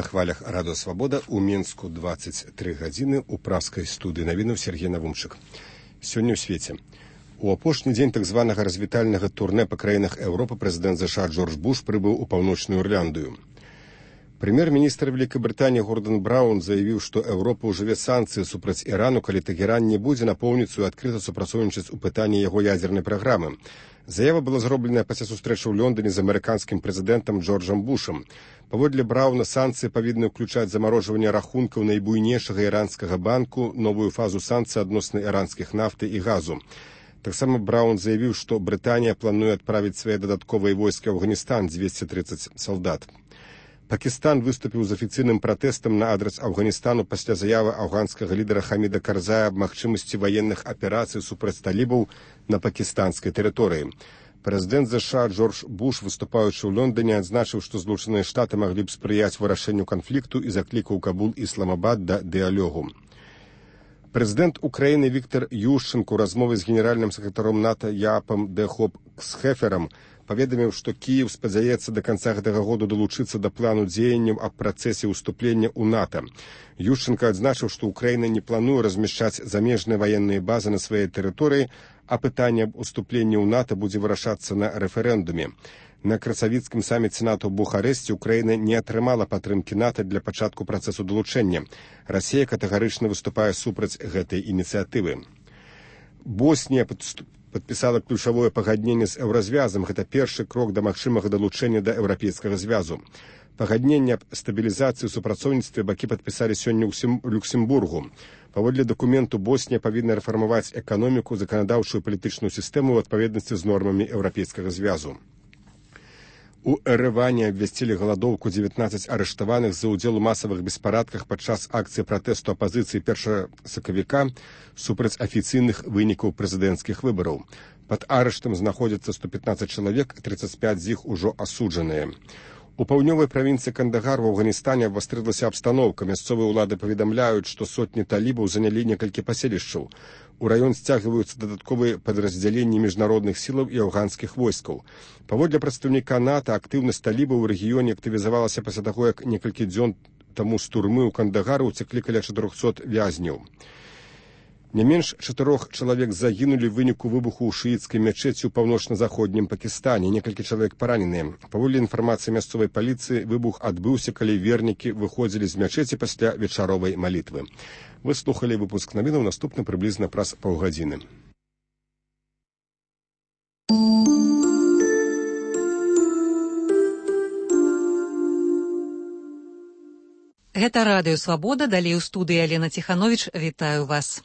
на хвалях Радио Свобода у Мінску 23 гадзіны у праскай студыі навінаў Сергей Навумчык. Сёння ў свеце. У апошні дзень так званага развітальнага турне па краінах Еўропы прэзідэнт США Джордж Буш прыбыў у Паўночную Ірландыю. Прэм'ер-міністр Вялікай Гордан Браўн заявіў, што Еўропа ўжыве санкцыі супраць Ірану, калі Тэгеран не будзе напоўніцу і адкрыта супрацоўнічаць у пытанні яго ядзернай праграмы. Заява была зробленая пасля сустрэчы ў Лондоне з амерыканскім прэзідэнтам Джорджам Бушам. Паводле Браўна, санкцыі павінны ўключаць замарожванне рахункаў найбуйнейшага іранскага банку, новую фазу санкцый адносна іранскіх нафты і газу. Таксама Браўн заявіў, што Брытанія плануе адправіць свае дадатковыя войскі ў Афганістан 230 салдат. Пакістан выступіў з афіцыйным пратэстам на адрас Афганістану пасля заявы афганскага лідара Хаміда Карзая аб магчымасці ваенных аперацый супраць талібаў на пакістанскай тэрыторыі. Прэзідэнт США Джордж Буш, выступаючы ў Лондоне, адзначыў, што Злучаныя Штаты маглі б спрыяць вырашэнню канфлікту і заклікаў Кабул і Ісламабад да дыялогу. Прэзідэнт Украіны Віктор Ющенко ў размове з генеральным сакратаром НАТО Яапам де Хоop-Схеферам паведаміў, што Кіеў спадзяецца да канца гэтага году далучыцца да плану дзеянняў аб працэсе ўступлення ў НАТО. Ющенко адзначыў, што Украіна не плануе размяшчаць замежныя ваенныя базы на сваёй тэрыторыі, а пытанне аб уступленні ў НАТО будзе вырашацца на рэферэндуме. На красавіцкім саміце НАТО ў Бухарэсце Украіна не атрымала падтрымкі НАТО для пачатку працэсу далучэння. Расія катэгарычна выступае супраць гэтай ініцыятывы. Боснія падпісала ключавое пагадненне з еўразвязам. Гэта першы крок да магчымага далучэння да еўрапейскага звязу. Пагадненне аб стабілізацыі і супрацоўніцтве бакі падпісалі сёння ў Люксембургу. Паводле дакументу Боснія павінна рэфармаваць эканоміку, заканадаўчую і палітычную сістэму ў адпаведнасці з нормамі еўрапейскага звязу. У Эрэване абвясцілі галадоўку 19 арыштаваных за ўдзел у масавых беспарадках падчас акцыі пратэсту апазіцыі 1 сакавіка супраць афіцыйных вынікаў прэзідэнцкіх выбараў. Пад арыштам знаходзяцца 115 чалавек, 35 з іх ужо асуджаныя. У паўднёвай правінцыі Кандагар у Афганістане абвастрылася абстаноўка. Мясцовыя ўлады паведамляюць, што сотні талібаў занялі некалькі паселішчаў. У раён сцягваюцца дадатковыя падраздзяленні міжнародных сілаў і афганскіх войскаў. Паводле прадстаўніка НАТО, актыўнасць талібаў у рэгіёне актывізавалася пасля таго, як некалькі дзён таму з турмы ў Кандагары ўцеклі каля 400 вязняў. Не менш 4 чалавек загінулі ў выніку выбуху ў шыіцкай мячэці ў паўночна-заходнім Пакістане. Некалькі чалавек параненыя. Паводле інфармацыі мясцовай паліцыі, выбух адбыўся, калі вернікі выходзілі з мячэці пасля вечаровай малітвы. Вы слухалі выпуск навінаў, наступны прыблізна праз паўгадзіны. Гэта Радыё Свабода, далей у студыі Алена Ціхановіч, вітаю вас.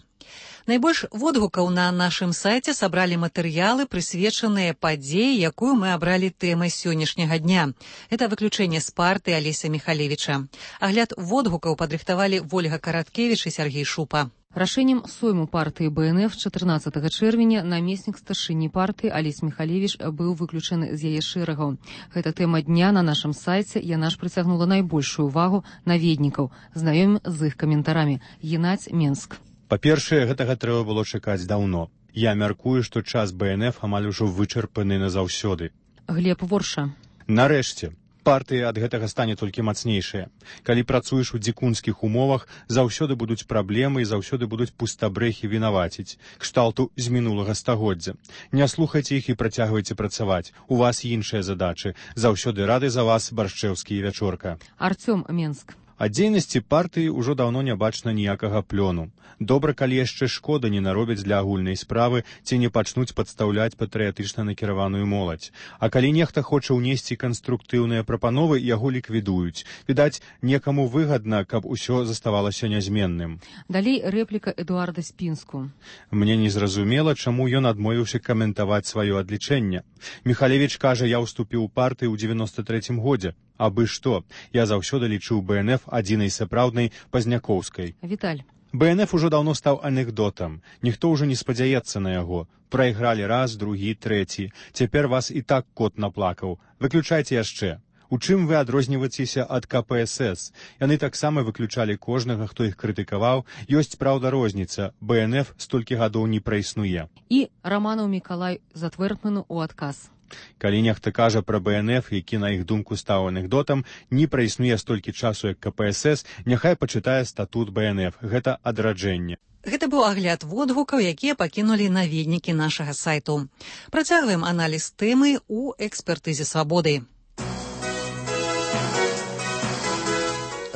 Найбольш водгукаў на нашым сайце сабралі матэрыялы, прысвечаныя падзеі, якую мы абралі тэмай сённяшняга дня. Это выключэнне з партыі Алеся Михалевіча. Агляд водгукаў падрыхтавалі Вольга Караткевіч і Сергей Шупа. Рашэннем сойму партыі БНФ 14 чэрвеня намеснік старшыні партыі Алесь Михалевіч быў выключаны з яе шэрагаў. Гэта тэма дня на нашым сайце, яна ж прыцягнула найбольшую увагу наведнікаў. Знаёмім з іх каментарамі. Геннадзь, Менск. Па-першае, гэтага трэба было чакаць даўно. Я мяркую, што час БНФ амаль ужо вычарпаны назаўсёды. Глеб, Ворша. Нарэшце, партыі ад гэтага стане толькі мацнейшыя. Калі працуеш у дзікунскіх умовах, заўсёды будуць праблемы і заўсёды будуць пустабрэхі вінаваціць. Кшталту з мінулага стагоддзя. Не слухайце іх і працягвайце працаваць. У вас іншыя задачы. Заўсёды рады за вас, Баршчэўскі і Вячорка. Артём, Менск. Ад дзейнасці партыі ўжо даўно не бачна ніякага плёну. Добра, калі яшчэ шкода не наробяць для агульнай справы ці не пачнуць падстаўляць патрыятычна накіраваную моладзь. А калі нехта хоча ўнесці канструктыўныя прапановы, яго ліквідуюць. Відаць, некаму выгадна, каб усё заставалася нязменным. Далей рэпліка Эдуарда Спінску. Мне незразумела, чаму ён адмовіўся каментаваць сваё адлічэнне. Михалевіч кажа, я ўступіў у партыю ў 93-м годзе. Абы што, я заўсёды лічыў БНФ адзінай сапраўднай пазнякоўскай. Віталь. БНФ ужо даўно стаў анекдотам. Ніхто ўжо не спадзяецца на яго. Прайгралі раз, другі, трэці. Цяпер вас і так кот наплакаў. Выключайце яшчэ. У чым вы адрозніваецеся ад КПСС? Яны таксама выключалі кожнага, хто іх крытыкаваў. Ёсць, праўда, розніца. БНФ столькі гадоў не праіснуе. І Раманаў Мікалай Затвэрдману ў адказ. Калі нехта кажа пра БНФ, які, на іх думку, стаў анекдотам, не праіснуе столькі часу, як КПСС, няхай пачытае статут БНФ. Гэта адраджэнне. Гэта быў агляд водгукаў, якія пакінулі наведнікі нашага сайту. Працягваем аналіз тэмы ў экспертызе свабоды.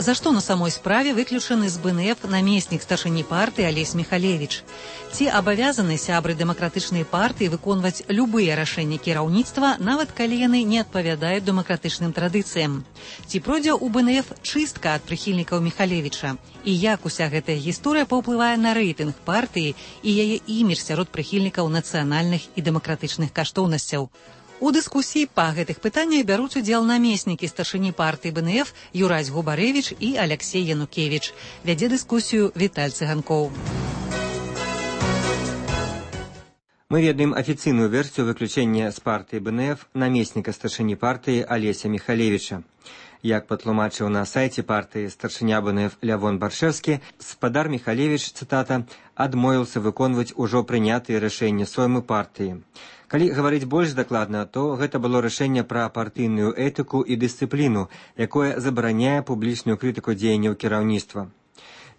За што на самой справе выключаны з БНФ намеснік старшыні партыі Алесь Михалевич? Ці абавязаны сябры дэмакратычнай партыі выконваць любыя рашэнні кіраўніцтва, нават калі яны не адпавядаюць дэмакратычным традыцыям? Ці пройдзе ў БНФ чыстка ад прыхільнікаў Михалевича? І як уся гэтая гісторыя паўплывае на рэйтынг партыі і яе імідж сярод прыхільнікаў нацыянальных і дэмакратычных каштоўнасцяў? У дыскусіі па гэтых пытаннях бяруць удзел намеснікі старшыні партыі БНФ Юрась Губарэвіч і Аляксей Янукевіч. Вядзе дыскусію Віталь Цыганкоў. Мы ведаем афіцыйную версію выключэння з партыі БНФ намесніка старшыні партыі Алеся Михалевича. Як патлумачыў на сайце партыі старшыня БНФ Лявон Баршэвскі, спадар Михалевич, цытата, адмовіўся выконваць ужо прынятыя рашэнні соймы партыі. Калі гаварыць больш дакладна, то гэта было рашэнне пра партыйную этыку і дысцыпліну, якое забараняе публічную крытыку дзеянняў кіраўніцтва.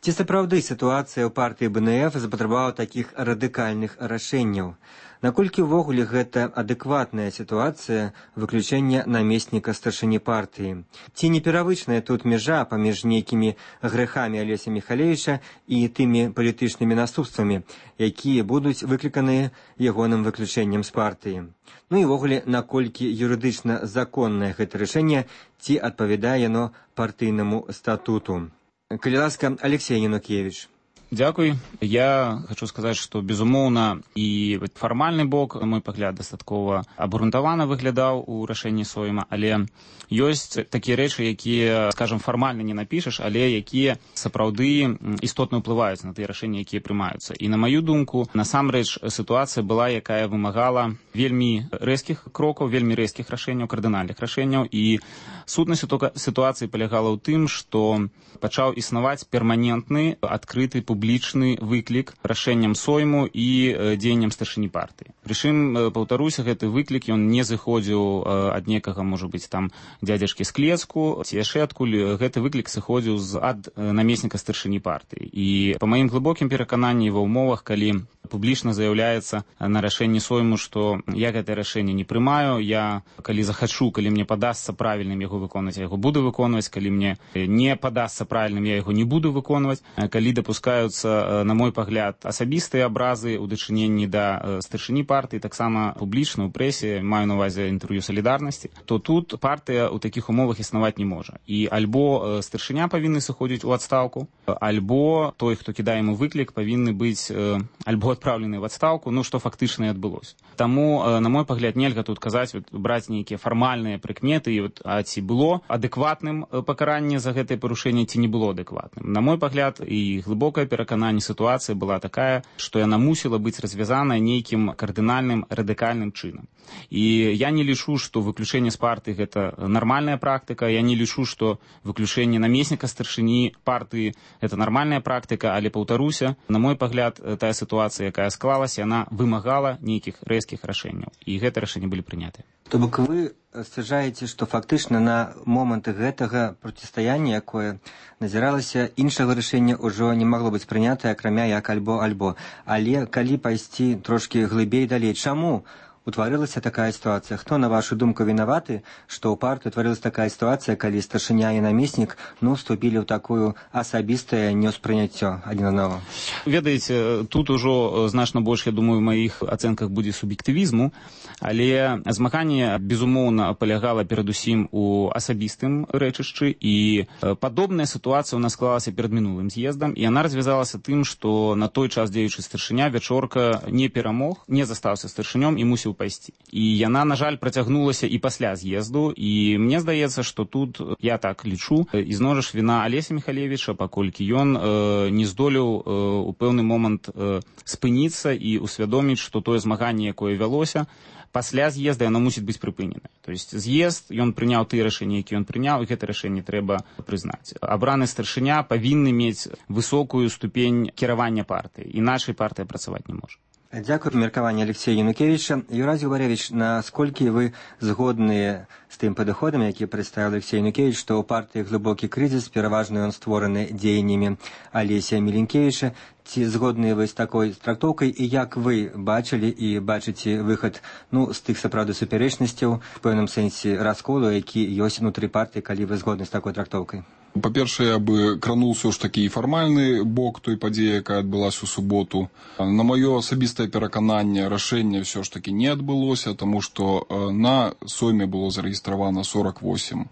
Ці сапраўды сітуацыя ў партыі БНФ запатрабавала такіх радыкальных рашэнняў? Наколькі ўвогуле гэта адэкватная сітуацыя выключэння намесніка старшыні партыі? Ці не перавычная тут мяжа паміж нейкімі грэхамі Алеся Михалевича і тымі палітычнымі наступствамі, якія будуць выкліканыя ягоным выключэннем з партыі? Ну і ўвогуле, наколькі юрыдычна законнае гэта рашэнне, ці адпавядае яно партыйнаму статуту? Калі ласка, Алексей Янукевич. Дзякуй. Я хочу сказаць, што, безумоўна, і фармальны бок, на мой пагляд, дастаткова абгрунтавана выглядаў у рашэнні сойма, але ёсць такія рэчы, якія, скажам, фармальна не напішаш, але якія сапраўды істотна ўплываюць на тыя рашэнні, якія прымаюцца. І на маю думку, насамрэч, сітуацыя была, якая вымагала вельмі рэзкіх крокаў, вельмі рэзкіх рашэнняў, кардынальных рашэнняў, і сутнасць сітуацыі палягала ў тым, што пачаў існаваць перманентны, адкрыты, публічны выклік рашэнням сойму і дзеянням старшыні партыі. Прычым, паўтаруся, гэты выклік, ён не зыходзіў ад некага, можа быць, там, дзядзяшкі з клецку, ці яшчэ адкуль. Гэты выклік сыходзіў ад намесніка старшыні партыі. І па маім глыбокім перакананні ва ўмовах, калі публічна заяўляецца на рашэнні сойму, што я гэтае рашэнне не прымаю, я, калі захачу, калі мне падасца правільным яго выконваць, я яго буду выконваць, калі мне не падасца правільным, я яго не буду выконваць, калі дапускаюцца, на мой пагляд, асабістыя абразы ў дачыненні да старшыні партыі, таксама публічна ў прэсе, маю на ўвазе інтэрв'ю салідарнасці, то тут партыя ў такіх умовах існаваць не можа. І альбо старшыня павінны сыходзіць у адстаўку, альбо той, хто кідае яму выклік, павінны быць альбо адпраўлены в адстаўку, ну, што фактычна і адбылося. Таму, на мой пагляд, нельга тут казаць, браць нейкія фармальныя прыкметы, а ці было адэкватным пакаранне за гэтае парушэнне, ці не было адэкватным. На мой пагляд, і глыбокае перакананне, сітуацыя была такая, што яна мусіла быць развязаная нейкім кардынальным, радыкальным чынам. І я не лічу, што выключэнне з партыі гэта нармальная практыка, я не лічу, што выключэнне намесніка старшыні партыі гэта нармальная практыка, але, паўтаруся, на мой пагляд, тая сітуацыя, якая склалася, яна вымагала нейкіх рэзкіх рашэнняў. І гэтыя рашэнні былі прынятыя. То бок вы сцвярджаеце, што фактычна на момант гэтага процістаяння, якое назіралася, іншага рашэння ўжо не магло быць прынятае, акрамя як альбо-альбо. Але калі пайсці трошкі глыбей далей, чаму утварылася такая сітуацыя? Хто, на вашу думку, вінаваты, што ў партыі утварылася такая сітуацыя, калі старшыня і намеснік, вступілі ў такую асабістае неўспрыняццё адзін аднаго? Ведаеце, тут ужо значна больш, я думаю, у маіх ацэнках будзе суб'ектывізму, але змаганне, безумоўна, палягала перадусім у асабістым рэчышчы, і падобная сітуацыя ў нас склалася перад мінулым з'ездам, і яна развязалася тым, што на той час дзеючы старшыня Вячорка не перамог, не застаўся старшынём і мусіў пайсці. І яна, на жаль, працягнулася і пасля з'езду, і мне здаецца, што тут, я так лічу, ізноў жа віна Алеся Михалевича, паколькі ён не здолеў у пэўны момант спыніцца і усвядоміць, што тое змаганне, якое вялося, пасля з'езда яно мусіць быць прыпынена. То есть з'езд, ён прыняў тыя рашэнні, якія ён прыняў, і гэта рашэнне трэба прызнаць. Абраны старшыня павінны мець высокую ступень кіравання партыі, іначай партыя працаваць не можа. Дзякую меркаванне Алексея Янукевича. Юрий Губаревич, насколько вы згодны з тым падыходам, які прадставіў Алексей Янукевич, што ў партыі глыбокі крызіс, пераважна ён створаны дзеяннямі Алесія Міленкевіча. Ці згодны вы з такой трактоўкай, і як вы бачылі і бачыце выхад з тых сапраўды супярэчнасцяў, в пэўным сэнсе расколу, які ёсць унутры партыі, калі вы згодны з такой трактоўкай? Па-першае, я бы крануў ўсё ж такі і фармальны бок той падзеі, якая адбылася ў суботу. На маё асабістае перакананне, рашэнне ўсё ж такі не адбылося, таму што на Сойме было зарэгістравана 48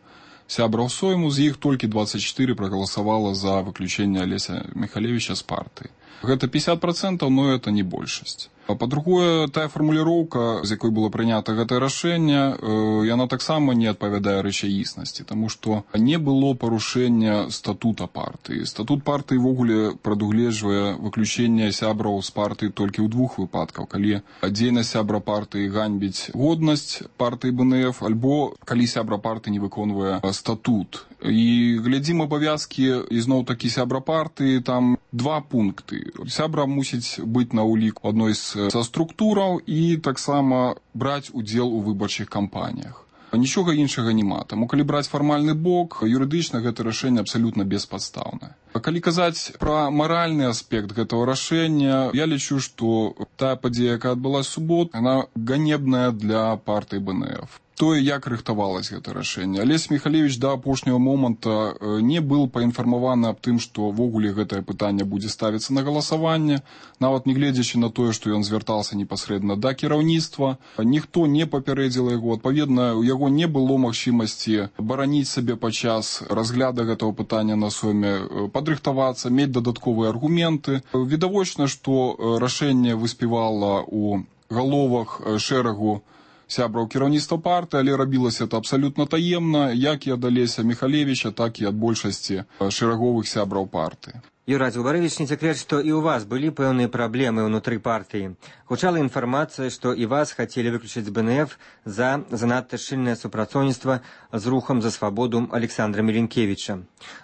сябраў Сойму, з іх толькі 24 прагаласавала за выключэнне Алеся Михалевича з партыі. Гэта 50%, но это не большасць. Па-другое, тая фармуліроўка, з якой было прынята гэтае рашэнне, яна таксама не адпавядае рэчаіснасці, таму што не было парушэння статута партыі. Статут партыі ввогуле прадугледжвае выключэнне сябраў з партыі толькі ў двух выпадках, калі дзейнасць сябра партыі ганьбіць годнасць партыі БНФ, альбо калі сябра партыі не выконвае статут. І глядзім абавязкі ізноў-такі сябра партыі, там 2 пункты. Сябра мусіць быць на ўлік адной са структураў і таксама браць удзел у выбарчых кампаніях. Нічога іншага няма. Таму калі браць фармальны бок, юрыдычна гэта рашэнне абсалютна беспадстаўнае. Калі казаць пра маральны аспект гэтага рашэння, я лічу, што тая падзея, якая адбылася ў суботу, яна ганебная для партыі БНФ. Тое, як рыхтавалася гэта рашэнне. Алесь Михалевич да апошняга моманта не быў паінфармаваны аб тым, што ввогуле гэтае пытанне будзе ставіцца на галасаванне, нават не гледзячы на тое, што ён звяртаўся непасрэдна да кіраўніцтва. Ніхто не папярэдзіла яго. Адпаведна, у яго не было магчымасці бараніць сабе падчас разгляду гэтага пытання на Сойме, падрыхтавацца, мець дадатковыя аргументы. Відавочна, што рашэнне выспявала ў галовах шэрагу сябраў кіраўніцтва партыі, але рабілася это абсалютна таемна, як і ад Алеся Михалевича, так і ад большасці шэраговых сябраў партыі. Юрий Губаревич, не секрет, что и у вас были пэўныя проблемы внутри партии. Гучала информация, что и вас хотели выключить с БНФ за занадто шчыльнае супрацоўніцтва з рухом за свободу Александра Міленкевіча.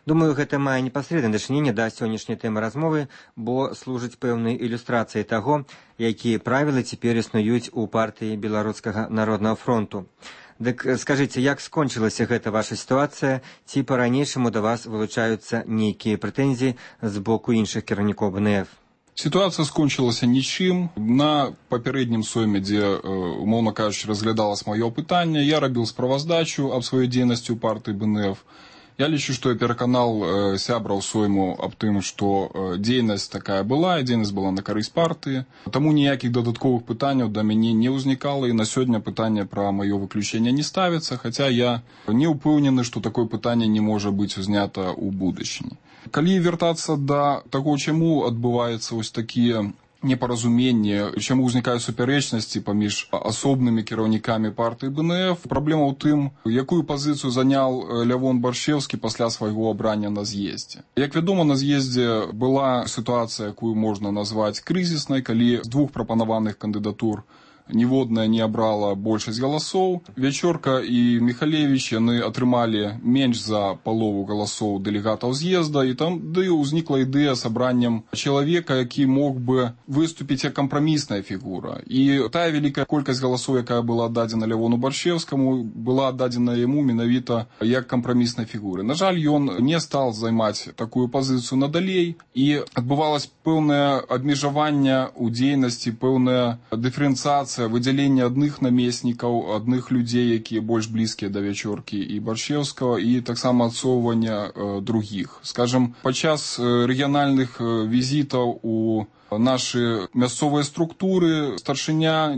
Думаю, гэта мае непасрэднае дачыненне да сённяшняй тэмы размовы, бо служыць пэўнай ілюстрацыяй таго, якія правілы цяпер існуюць у партыі Беларускага народнага фронту. Дык скажыце, як скончылася гэта ваша сітуацыя, ці па-ранейшаму да вас вылучаюцца нейкія прэтэнзіі з боку іншых кіраўнікоў БНФ? Сітуацыя скончылася нічым. На папярэднім Сойме, дзе, умоўна кажучы, разглядалася маё пытанне, я рабіў справаздачу аб сваёй дзейнасці ў партыі БНФ. Я лічу, што я пераканаў сябраў Сойму аб тым, што дзейнасць такая была, і дзейнасць была на карысць партыі. Таму ніякіх дадатковых пытанняў да мяне не ўзнікала, і на сёння пытанне пра маё выключэнне не ставіцца, хаця я не ўпэўнены, што такое пытанне не можа быць узнята ў будучыні. Калі вяртацца да таго, чаму адбываецца вось такія непаразуменне, чаму ўзнікаюць супярэчнасці паміж асобнымі кіраўнікамі партыі БНФ. Праблема ў тым, якую пазіцыю заняў Лявон Баршчэўскі пасля свайго абрання на з'ездзе. Як вядома, на з'ездзе была сітуацыя, якую можна назваць крызіснай, калі з 2 прапанаваных кандыдатур ніводная не абрала большасць галасоў. Вячорка і Михалевич, яны атрымалі менш за палову галасоў дэлегатаў з'езда, і там ўзнікла ідэя сабраннем чалавека, які мог бы выступіць як кампрамісная фігура. І тая вялікая колькасць галасоў, якая была аддадзена Лявону Баршчэўскаму, была аддадзена яму менавіта як кампраміснай фігуры. На жаль, ён не стал займаць такую пазіцыю надалей, і адбывалася пэўнае абмежаванне ў дзейнасці, пэўная дыферэнцыяцыя, выдзяленне адных намеснікаў, адных людзей, якія больш блізкія да Вячоркі і Баршчэўскага, і таксама адсоўвання другіх. Скажам, падчас рэгіянальных візітаў у нашы мясцовыя структуры старшыня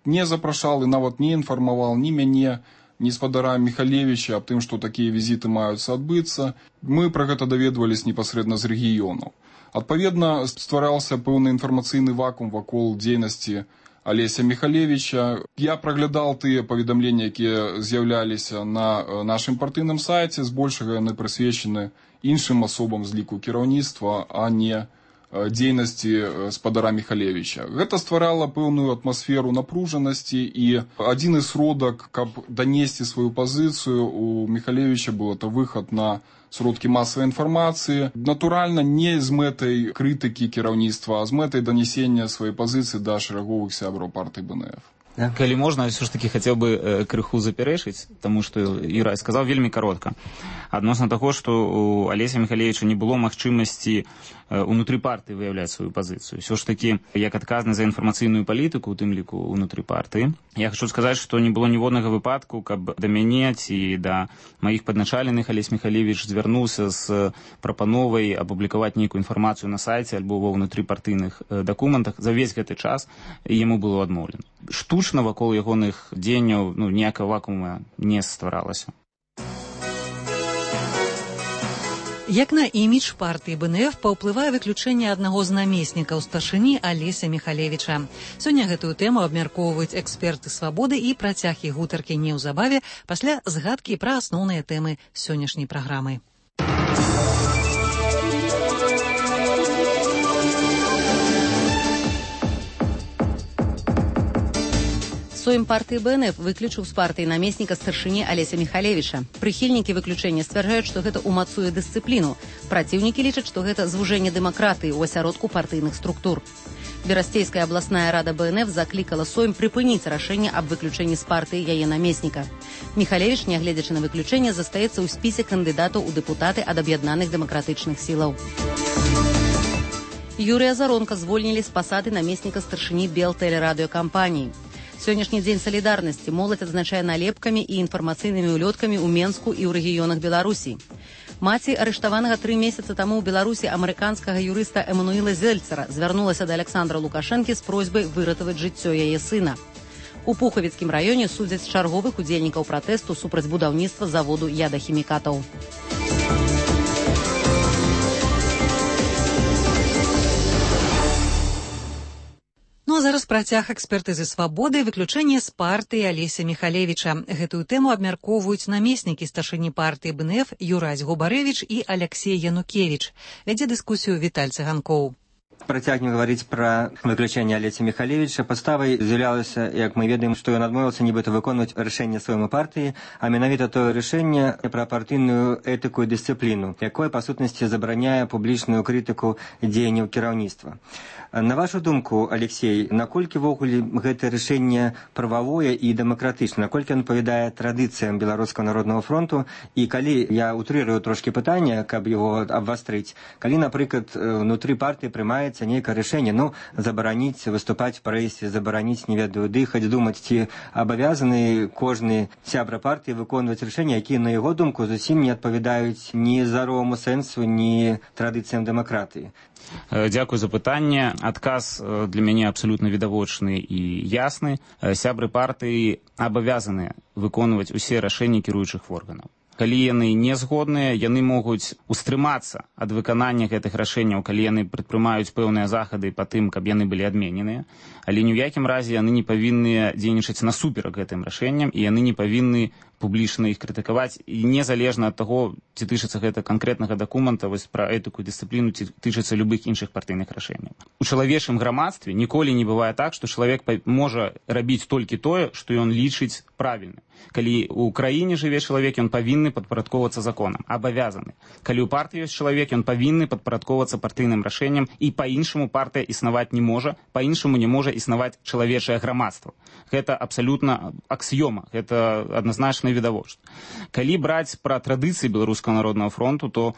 не запрашаў і нават не інфармаваў ні мяне, ні спадара Михалевича аб тым, што такія візіты маюцца адбыцца. Мы пра гэта даведваліся непасрэдна з рэгіёнаў. Адпаведна, ствараўся пэўны інфармацыйны вакуум вакол дзейнасці Алеся Михалевича. Я праглядаў тыя паведамленні, якія з'яўляліся на нашым партыйным сайце, збольшага яны прысвечаны іншым асобам з ліку кіраўніцтва, а не дзейнасці спадара Михалевича. Гэта стварала пэўную атмасферу напружанасці, і адзіны сродак, каб данесці сваю пазіцыю, у Михалевича быў это выхад на сродкі масавай інфармацыі. Натуральна, не з мэтай крытыкі кіраўніцтва, а з мэтай данесення сваёй пазіцыі да шараговых сябраў партыі БНФ. Калі можна, все ж таки хотел бы крыху запярэчыць, таму што Юрай сказаў вельмі каротка. Адносна таго, што у Алеся Михалевича не было магчымасці унутры партыі выяўляць сваю пазіцыю. Все ж таки, як адказны за інфармацыйную палітыку, у тым ліку унутры партыі, я хочу сказаць, што не было ніводнага выпадку, каб да мяне ці да маіх падначаленых Алесь Михалевич звярнуўся з прапановай апублікаваць нейкую інфармацыю на сайце альбо ва ўнутрыпартыйных дакументах. За весь гэты час яму было адмоўлена. Штучна вакол ягоных дзеянняў ніякага вакуума не стваралася. Як на імідж партыі БНФ паўплывае выключэнне аднаго з намеснікаў старшыні Алеся Михалевича. Сёння гэтую тэму абмяркоўваюць эксперты «Свабоды» і працяг іх гутаркі неўзабаве пасля згадкі пра асноўныя тэмы сённяшняй праграмы. Сойм партыі БНФ выключыў з партыі намесніка старшыні Алеся Михалевича. Прыхільнікі выключэння сцвярджаюць, што гэта ўмацуе дысцыпліну. Праціўнікі лічаць, што гэта звужэнне дэмакратыі ў асяродку партыйных структур. Берасцейская абласная рада БНФ заклікала Сойм прыпыніць рашэнне аб выключэнні з партыі яе намесніка. Михалевич, нягледзячы на выключэнне, застаецца ў спісе кандыдатаў у дэпутаты ад аб'яднаных дэмакратычных сілаў. Юрыя Заронка звольнілі з пасады намесніка старшыні Белтэлерадыёкампаніі. Сённяшні дзень салідарнасці моладзь адзначае налепкамі і інфармацыйнымі ўлёткамі ў Менску і ў рэгіёнах Беларусі. Маці арыштаванага 3 месяцы таму ў Беларусі амерыканскага юрыста Эмануіла Зельцера звярнулася да Александра Лукашэнкі з просьбай выратаваць жыццё яе сына. У Пухавіцкім раёне судзяць чарговых удзельнікаў пратэсту супраць будаўніцтва заводу ядахімікатаў. Ну а зараз працяг экспертызы «Свабоды» выключэнне з партыі Алеся Михалевича. Гэтую тэму абмяркоўваюць намеснікі старшыні партыі БНФ Юрась Губарэвіч і Алексей Янукевич. Вядзе дыскусію Віталь Цыганкоў. Працягнем гаварыць пра выключэнне Алеся Михалевича. Падставай з'яўлялася, як мы ведаем, што ён адмовіўся нібыта выконваць рашэнне сваёй партыі, а менавіта тое рашэнне пра партыйную этыку і дысцыпліну, якое па сутнасці забараняе публічную крытыку дзеянняў кіраўніцтва. На вашу думку, Алексей, наколькі ввогуле гэта рашэнне прававое і дэмакратычнае, наколькі ён адпавядае традыцыям Беларускага народнага фронту, і калі я утрырую трошкі пытанне, каб яго абвастрыць, калі, напрыклад, внутры партыі прымаецца нейкае рашэнне, забараніць выступаць в прэсе, забараніць, не ведаю, дыхаць, думаць, ці абавязаны кожны сябра партыі выконваць рашэнні, якія, на яго думку, зусім не адпавядаюць ні здароваму сэнсу, ні традыцыям дэмакратыі. Дзякую за пытанне. Адказ для мяне абсалютна відавочны і ясны. Сябры партыі абавязаны выконваць усе рашэнні кіруючых органаў. Калі яны не згодныя, яны могуць устрымацца ад выканання гэтых рашэнняў, калі яны прадпрымаюць пэўныя захады па тым, каб яны былі адмененыя, але ні ў якім разе яны не павінны дзейнічаць насуперак гэтым рашэнням, і яны не павінны публічна іх крытыкаваць, і незалежна ад таго, ці тычыцца гэта канкрэтнага дакумента, вось пра этыку і дысцыпліну, ці тычыцца любых іншых партыйных рашэнняў. У чалавечым грамадстве ніколі не бывае так, што чалавек можа рабіць толькі тое, што ён лічыць правільным. Калі ў краіне жыве чалавек, ён павінны падпарадковвацца законам, абавязаны. Калі ў партыі ёсць чалавек, ён павінны падпарадковвацца партыйным рашэнням, і па-іншаму партыя існаваць не можа, па-іншаму не можа існаваць чалавечае грамадства. Гэта абсалютна аксіёма, гэта адназначна відавочна. Калі браць пра традыцыі Беларускага народнага фронту, то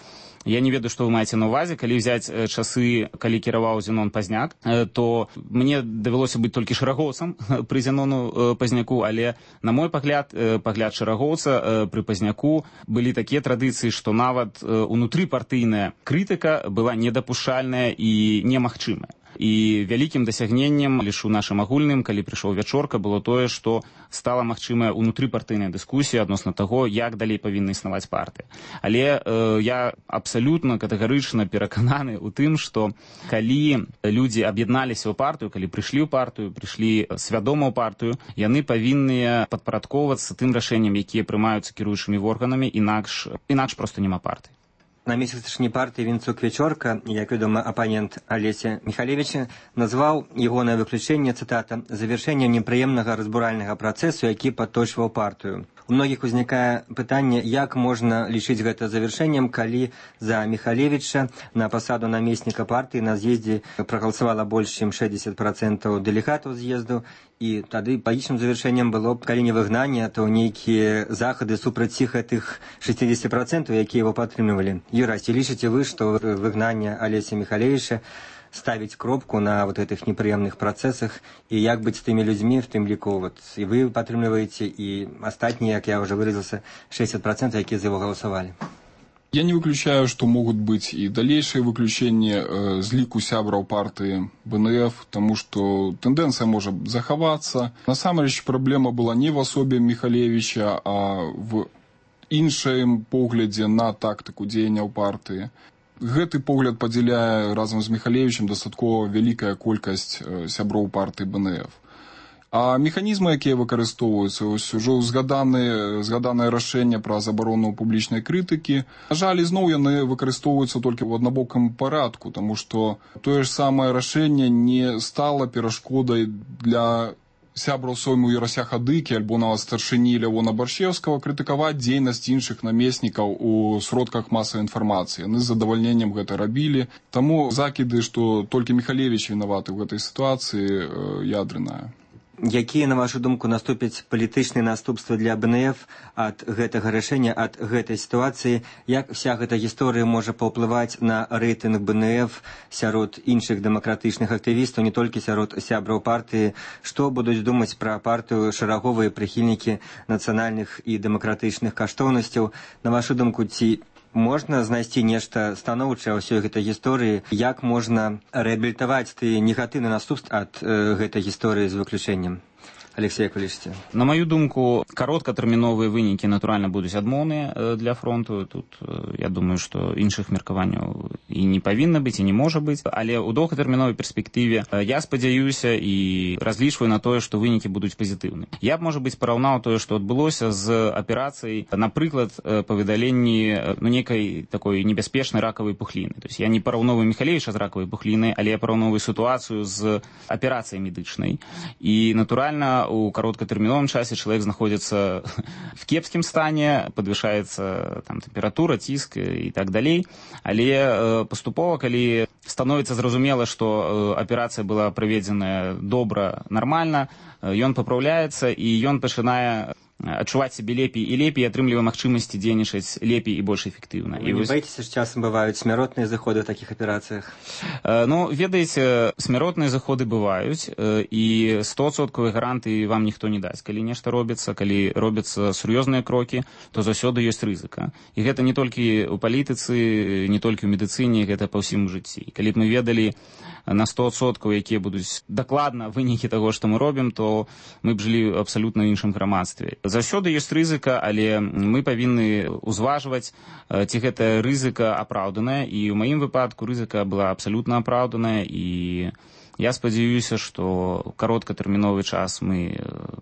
я не ведаю, што вы маеце на ўвазе. Калі взяць часы, калі кіраваў Зенон Пазняк, то мне давялося быць толькі шэрагоўцам пры Зенону Пазняку, але, на мой пагляд шэрагоўца пры Пазняку былі такія традыцыі, што нават унутрыпартыйная крытыка была недапушчальная і немагчымая. І вялікім дасягненнем, ліж у нашым агульным, калі прыйшоў вячорка, было тое, што стала магчымая унутрыпартыйная дыскусія адносна таго, як далей павінна існаваць партыя. Але я абсалютна катэгарычна перакананы ў тым, што калі людзі аб'ядналіся ў партыю, калі прыйшлі ў партыю, прыйшлі свядома ў партыю, яны павінны падпарадковвацца тым рашэнням, якія прымаюцца кіруючымі органамі, інакш проста няма партыі. Намеснік старшыні партыі Вінцук Вечорка, як вядома, апанент Алеся Михалевича, назваў ягонае выключэнне, цытата, «завяршэннем непрыемнага разбуральнага працэсу, які падточваў партыю». У многіх узнікае пытанне, як можна лічыць гэта завяршэннем, калі за Михалевіча на пасаду намесніка партыі на з'ездзе прагаласавала больш чым 60% дэлегатаў з'езду, і тады палічным завяршэннем было б, калі не выгнанне, то нейкія захады супраць гэтых 60%, якія его падтрымлівалі. Юрась, ці лічыце вы, што выгнанне Алеся Михалевіча ставить кропку на вот этих неприемных процессах, и як быть с теми людьми, в тем лику, вот, и вы подтримливаете, и остальные, как я уже выразился, 60%, которые за его голосовали. Я не выключаю, что могут быть и дальнейшие выключения з лику сябраў партии БНФ, потому что тенденция может заховаться. Насамрэч проблема была не в особе Михалевича, а в іншым поглядзе на тактику дзеянняў партии. Гэты погляд падзяляе разам з Михалевічем дастаткова вялікая колькасць сяброў партыі БНФ. А механізмы, якія выкарыстоўваюцца, ўжо згаданае рашэнне пра забарону публічнай крытыкі, на жаль, ізноў яны выкарыстоўваюцца толькі ў аднабокам парадку, таму што тое ж самае рашэнне не стала перашкодай для сябраў сойму Ярася Хадыкі альбо нават старшыні Лявона Баршчеўскага крытыкаваць дзейнасць іншых намеснікаў у сродках масавай інфармацыі. Яны з задавальненнем гэта рабілі. Таму закіды, што толькі Михалевіч вінаваты ў гэтай сітуацыі, ядрэнная. Якія, на вашу думку, наступяць палітычныя наступствы для БНФ ад гэтага рашэння, ад гэтай сітуацыі? Як вся гэта гісторыя можа паўплываць на рэйтынг БНФ сярод іншых дэмакратычных актывістаў, не толькі сярод сябраў партыі? Што будуць думаць пра партыю шараговыя прыхільнікі нацыянальных і дэмакратычных каштоўнасцяў? На вашу думку, ці можна знайсці нешта станоўчае ў ўсёй гэтай гісторыі? Як можна рэабілітаваць тыя негатыўныя наступствы ад гэтай гісторыі з выключэннем? Алексей, як вы лічыце? На маю думку, кароткатэрміновыя вынікі, натуральна, будуць адмоўныя для фронту. Тут, я думаю, што іншых меркаванняў і не павінна быць, і не можа быць. Але ў доўгатэрміновай перспектыве я спадзяюся і разлічваю на тое, што вынікі будуць пазітыўныя. Я б, можа быць, параўнаў тое, што адбылося з аперацыяй, напрыклад, па выдаленні нейкай такой небяспечнай ракавай пухліны. То есть я не параўноўваю Михалевіча з ракавай пухлінай, але я параўноўваю сітуацыю з аперацыяй медычнай. І, натуральна, у кароткатэрміновым часе чалавек знаходзіцца в кепскім стане, падвышаецца там тэмпература, ціск і так далей. Але паступова, калі становіцца зразумела, што аперацыя была праведзеная добра, нармальна, ён папраўляецца і ён пачынае адчуваць сябе лепей і лепей, атрымлівае магчымасці дзейнічаць лепей і больш эфектыўна. Вы не баіцеся, што часам бываюць смяротныя заходы ў такіх аперацыях? Ну, ведаеце, смяротныя заходы бываюць, і 100% гарантыі вам ніхто не дасць. Калі нешта робіцца, калі робяцца сур'ёзныя крокі, то заўсёды ёсць рызыка. І гэта не толькі ў палітыцы, не толькі ў медыцыне, гэта па ўсім жыцці. Калі б мы ведалі на 100%, якія будуць дакладна вынікі таго, што мы робім, то мы б жылі абсалютна ў іншым грамадстве. Заўсёды ёсць рызыка, але мы павінны ўзважваць, ці гэтая рызыка апраўданая, і ў маім выпадку рызыка была абсалютна апраўданая, і я спадзяюся, што кароткатэрміновы час мы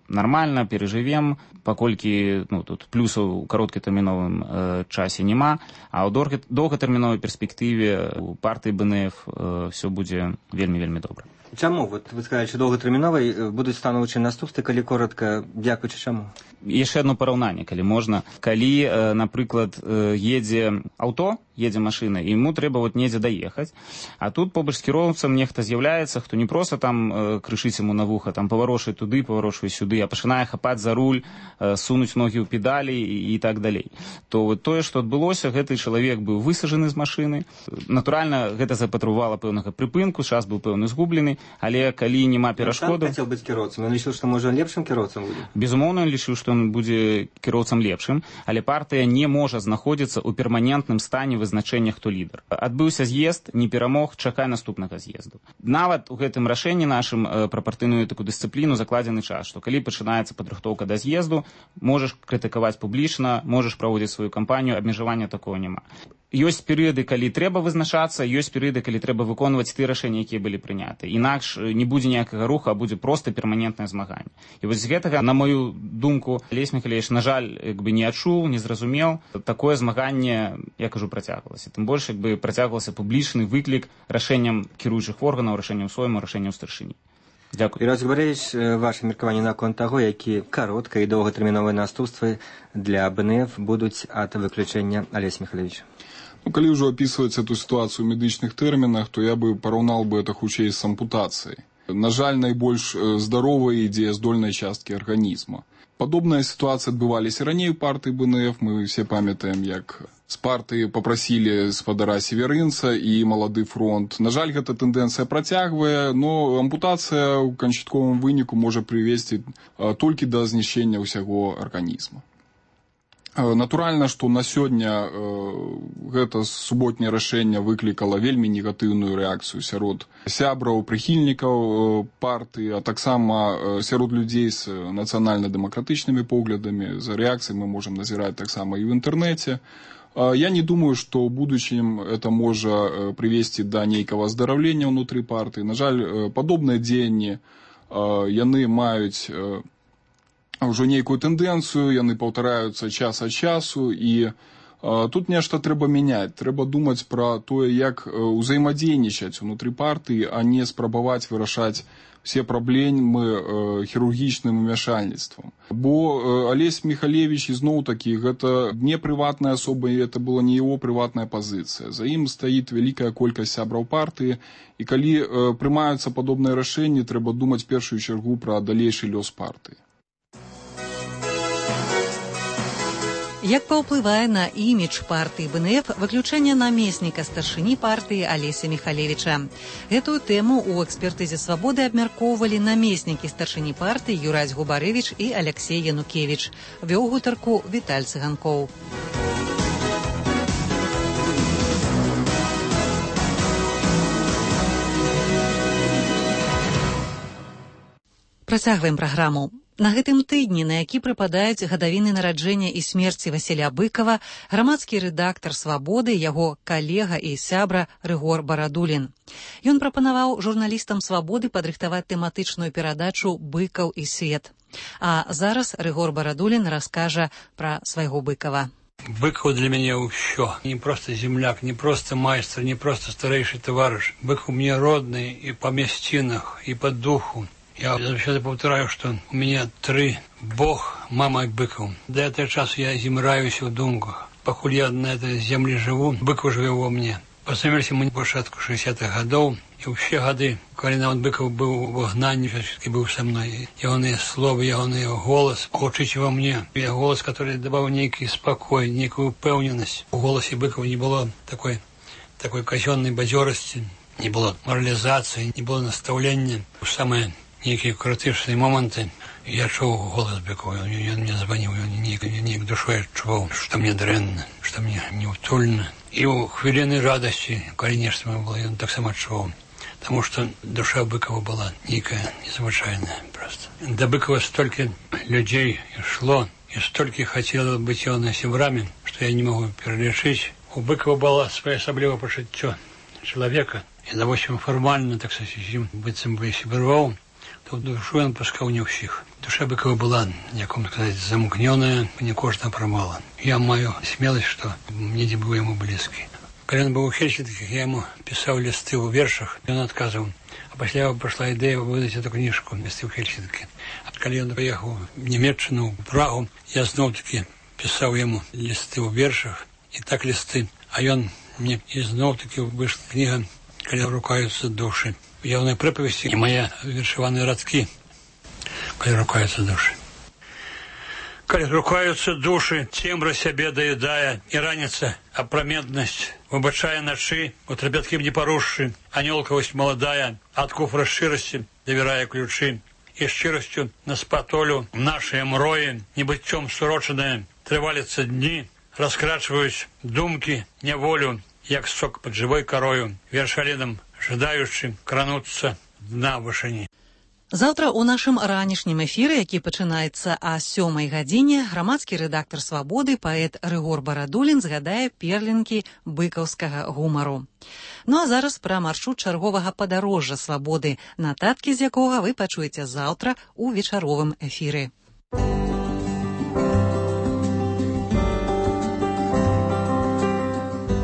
нармальна перажывем, паколькі тут плюсаў у кароткатэрміновым часе няма, а ў доўгатэрміновай перспектыве у партыі БНФ все будзе вельмі-вельмі добра. Чаму? Вот вы сказали, что доўгатэрміновай будуць станоўчыя наступствы, калі коротка, дзякуючы чаму? Яшчэ одно параўнанне, калі можна. Калі, напрыклад, едзе аўто, едзе машына, і яму трэба недзе даехаць, а тут побач з кіроўцам нехта з'яўляецца, хто не проста там крышыць яму на вуха, там паварочвае туды, паварочвае сюды, а пачынае хапаць за руль, сунуць ногі ў педалі і так далей. То тое, што адбылося, гэты чалавек быў высажаны з машыны. Натуральна, гэта запатрабавала пэўнага прыпынку, час быў пэўны згублены, але калі няма перашкодаў... Ён хацеў быць кіроўцам, ён лічыў, што можа лепшым кіроўцам будзе? Безумоўна, ён лічыў, што ён будзе кіроўцам лепшым, але партыя не можа знаходзіцца ў перманентным стане вызначэння, хто лідар. Адбыўся з'езд, не перамог, чакай наступнага з'езду. Нават у гэтым рашэнні нашым пра партыйную такую дысцыпліну закладзены час, што калі пачынаецца падрыхтоўка да з'езду, можаш крытыкаваць публічна, можаш праводзіць сваю кампанію, абмежавання такого няма. Ёсць перыяды, калі трэба вызначацца, ёсць перыяды, калі трэба выконваць тыя рашэнні, якія былі прыняты. Інакш не будзе ніякага руха, а будзе проста перманентнае змаганне. І вось з гэтага, на мою думку, Алесь Михалевич, на жаль, не адчуў, не зразумеў. Такое змаганне, я кажу, працягвалася. Тым больш, працягвалася публічны выклік рашэнням кіруючых органаў, рашэнням сойму, рашэнням старшыні. Дзякуй. Юрий Губаревич, ваше меркаванне наконт таго, які кароткія і доўгатэрміновыя наступствы для БНФ будуць ад выключэння Алеся Михалевича? Калі ўжо опісваць эту сітуацыю ў медычных тэрмінах, то я бы параўнаў бы это хутчэй з ампутацыяй. На жаль, найбольш здаровай і дзеяздольнай часткі арганізма. Падобная сітуацыя адбываліся раней у партыі БНФ. Мы все памятаем, як з партыі попрасілі спадара Северынца і малады фронт. На жаль, гэта тэндэнцыя працягвае, но ампутацыя ў канчатковым выніку можа прывесці толькі да знішчэння ўсяго арганізма. Натуральна, што на сёння гэта суботняе рашэнне выклікала вельмі негатыўную рэакцыю сярод сябраў, прыхільнікаў партыі, а таксама сярод людзей з нацыянальна-дэмакратычнымі поглядамі. За рэакцыяй мы можам назіраць таксама і ў інтэрнэце. Я не думаю, што ў будучым это можа прывесці да нейкага аздараўлення ўнутры партыі. На жаль, падобныя дзеянні яны маюць ўжо нейкую тэндэнцыю, яны паўтараюцца час ад часу, і тут нешта трэба мяняць. Трэба думаць пра тое, як узаемадзейнічаць унутры партыі, а не спрабаваць вырашаць все праблемы хірургічным умяшальніцтвам. Бо Алесь Михалевич, ізноў-такі, гэта не прыватная асоба, і это была не яго прыватная пазіцыя. За ім стаіць вялікая колькасць сябраў партыі, і калі прымаюцца падобныя рашэнні, трэба думаць в першую чаргу пра далейшы лёс партыі. Як паўплывае на імідж партыі БНФ выключэнне намесніка старшыні партыі Алеся Михалевича? Гэтую тэму ў экспертызе «Свабоды» абмяркоўвалі намеснікі старшыні партыі Юрась Губарэвіч і Аляксей Янукевіч. Вёў гутарку Віталь Цыганкоў. Працягваем праграму. На гэтым тыдні, на які прыпадаюць гадавіны нараджэння і смерці Васіля Быкова, грамадскі рэдактар «Свабоды», яго калега і сябра Рыгор Барадулін. Ён прапанаваў журналістам «Свабоды» падрыхтаваць тэматычную перадачу «Быкаў і свет». А зараз Рыгор Барадулін раскажа пра свайго Быкова. Быкаў для мяне ўсё. Не проста земляк, не проста майстар, не проста старэйшы таварыш. Быкаў мне родны і па мясцінах, і па духу. Я заўсёды паўтараю, што у мяне 3: Бог, мама і Быкаў. Да этого часу я зімраюся ў думках. Пакуль я на этой землі жыву, Быкаў жыве ва мне. Пазнаёміліся мы на пачатку 60-х гадоў, і ўсе гады, калі нават Быкаў быў у выгнанні, все-таки быў са мной. Ягоныя словы, ягоны голас гучыць ва мне. Я голас, который даваў нейкі спакой, нейкую упэўненасць. У голасе Быкаў не было такой казённай бадзёрасці, не было моралізацыі, не было настаўлення. Самае некие крытычныя моманты я чуў голас Быкова. Ён мне званіў, неяк душой адчуваў, што мне дрэнна, што мне неўтульна. І ў хвіліны радасці, калі нешта мне было, ён таксама адчуваў. Таму што душа Быкова была нейкая незвычайная проста. Да Быкова столькі людзей ішло, і столькі хацела быць ягонымі сябрамі, што я не магу пералічыць. У Быкова было своеасаблівае пачуццё чалавека, і допустим фармальна, так сказаць, быццам бы сябраваў, то душу ён пускаў не ўсіх. Душа Быкова была, як вам сказаць, замкнёная, не кожна прымала. Я маю смеласць, што недзе быў яму блізкі. Калі ён быў у Хельсінках, я яму пісаў лісты ў вершах, ён адказваў. А пасля прайшла ідэя выдаць эту кніжку «Лісты ў Хельсінкі». А калі ён паехаў у Нямецчыну, у Прагу, я зноў-такі пісаў яму лісты ў вершах, і так лісты. А ён мне і зноў-такі выйшла кніга «Калі рукаюцца душы». Ягоныя прыпавесці і мае вершаваныя радкі, калі рукаюцца душы. Калі рукаюцца душы, цемра сябе даядае, і раніца апраметнасць выбачае начы, у трапяткім не парушшы, анёлкавасць маладая, ад куфра шчырасці давярае ключы, і шчырасцю на спатолю нашыя мроі, небыццём сурочаныя, трываліцца дні, раскрачваюць думкі, няволю, як сок пад жывой карою, вершалінам жадаючы крануцца дна вышыні. Заўтра ў нашым ранішнім эфіры, які пачынаецца о 7 гадзіне, грамадскі рэдактар «Свабоды», паэт Рыгор Барадулін згадае перлінкі быкаўскага гумару. Ну а зараз пра маршрут чарговага падарожжа «Свабоды», нататкі з якога вы пачуеце заўтра ў вечаровым эфіры.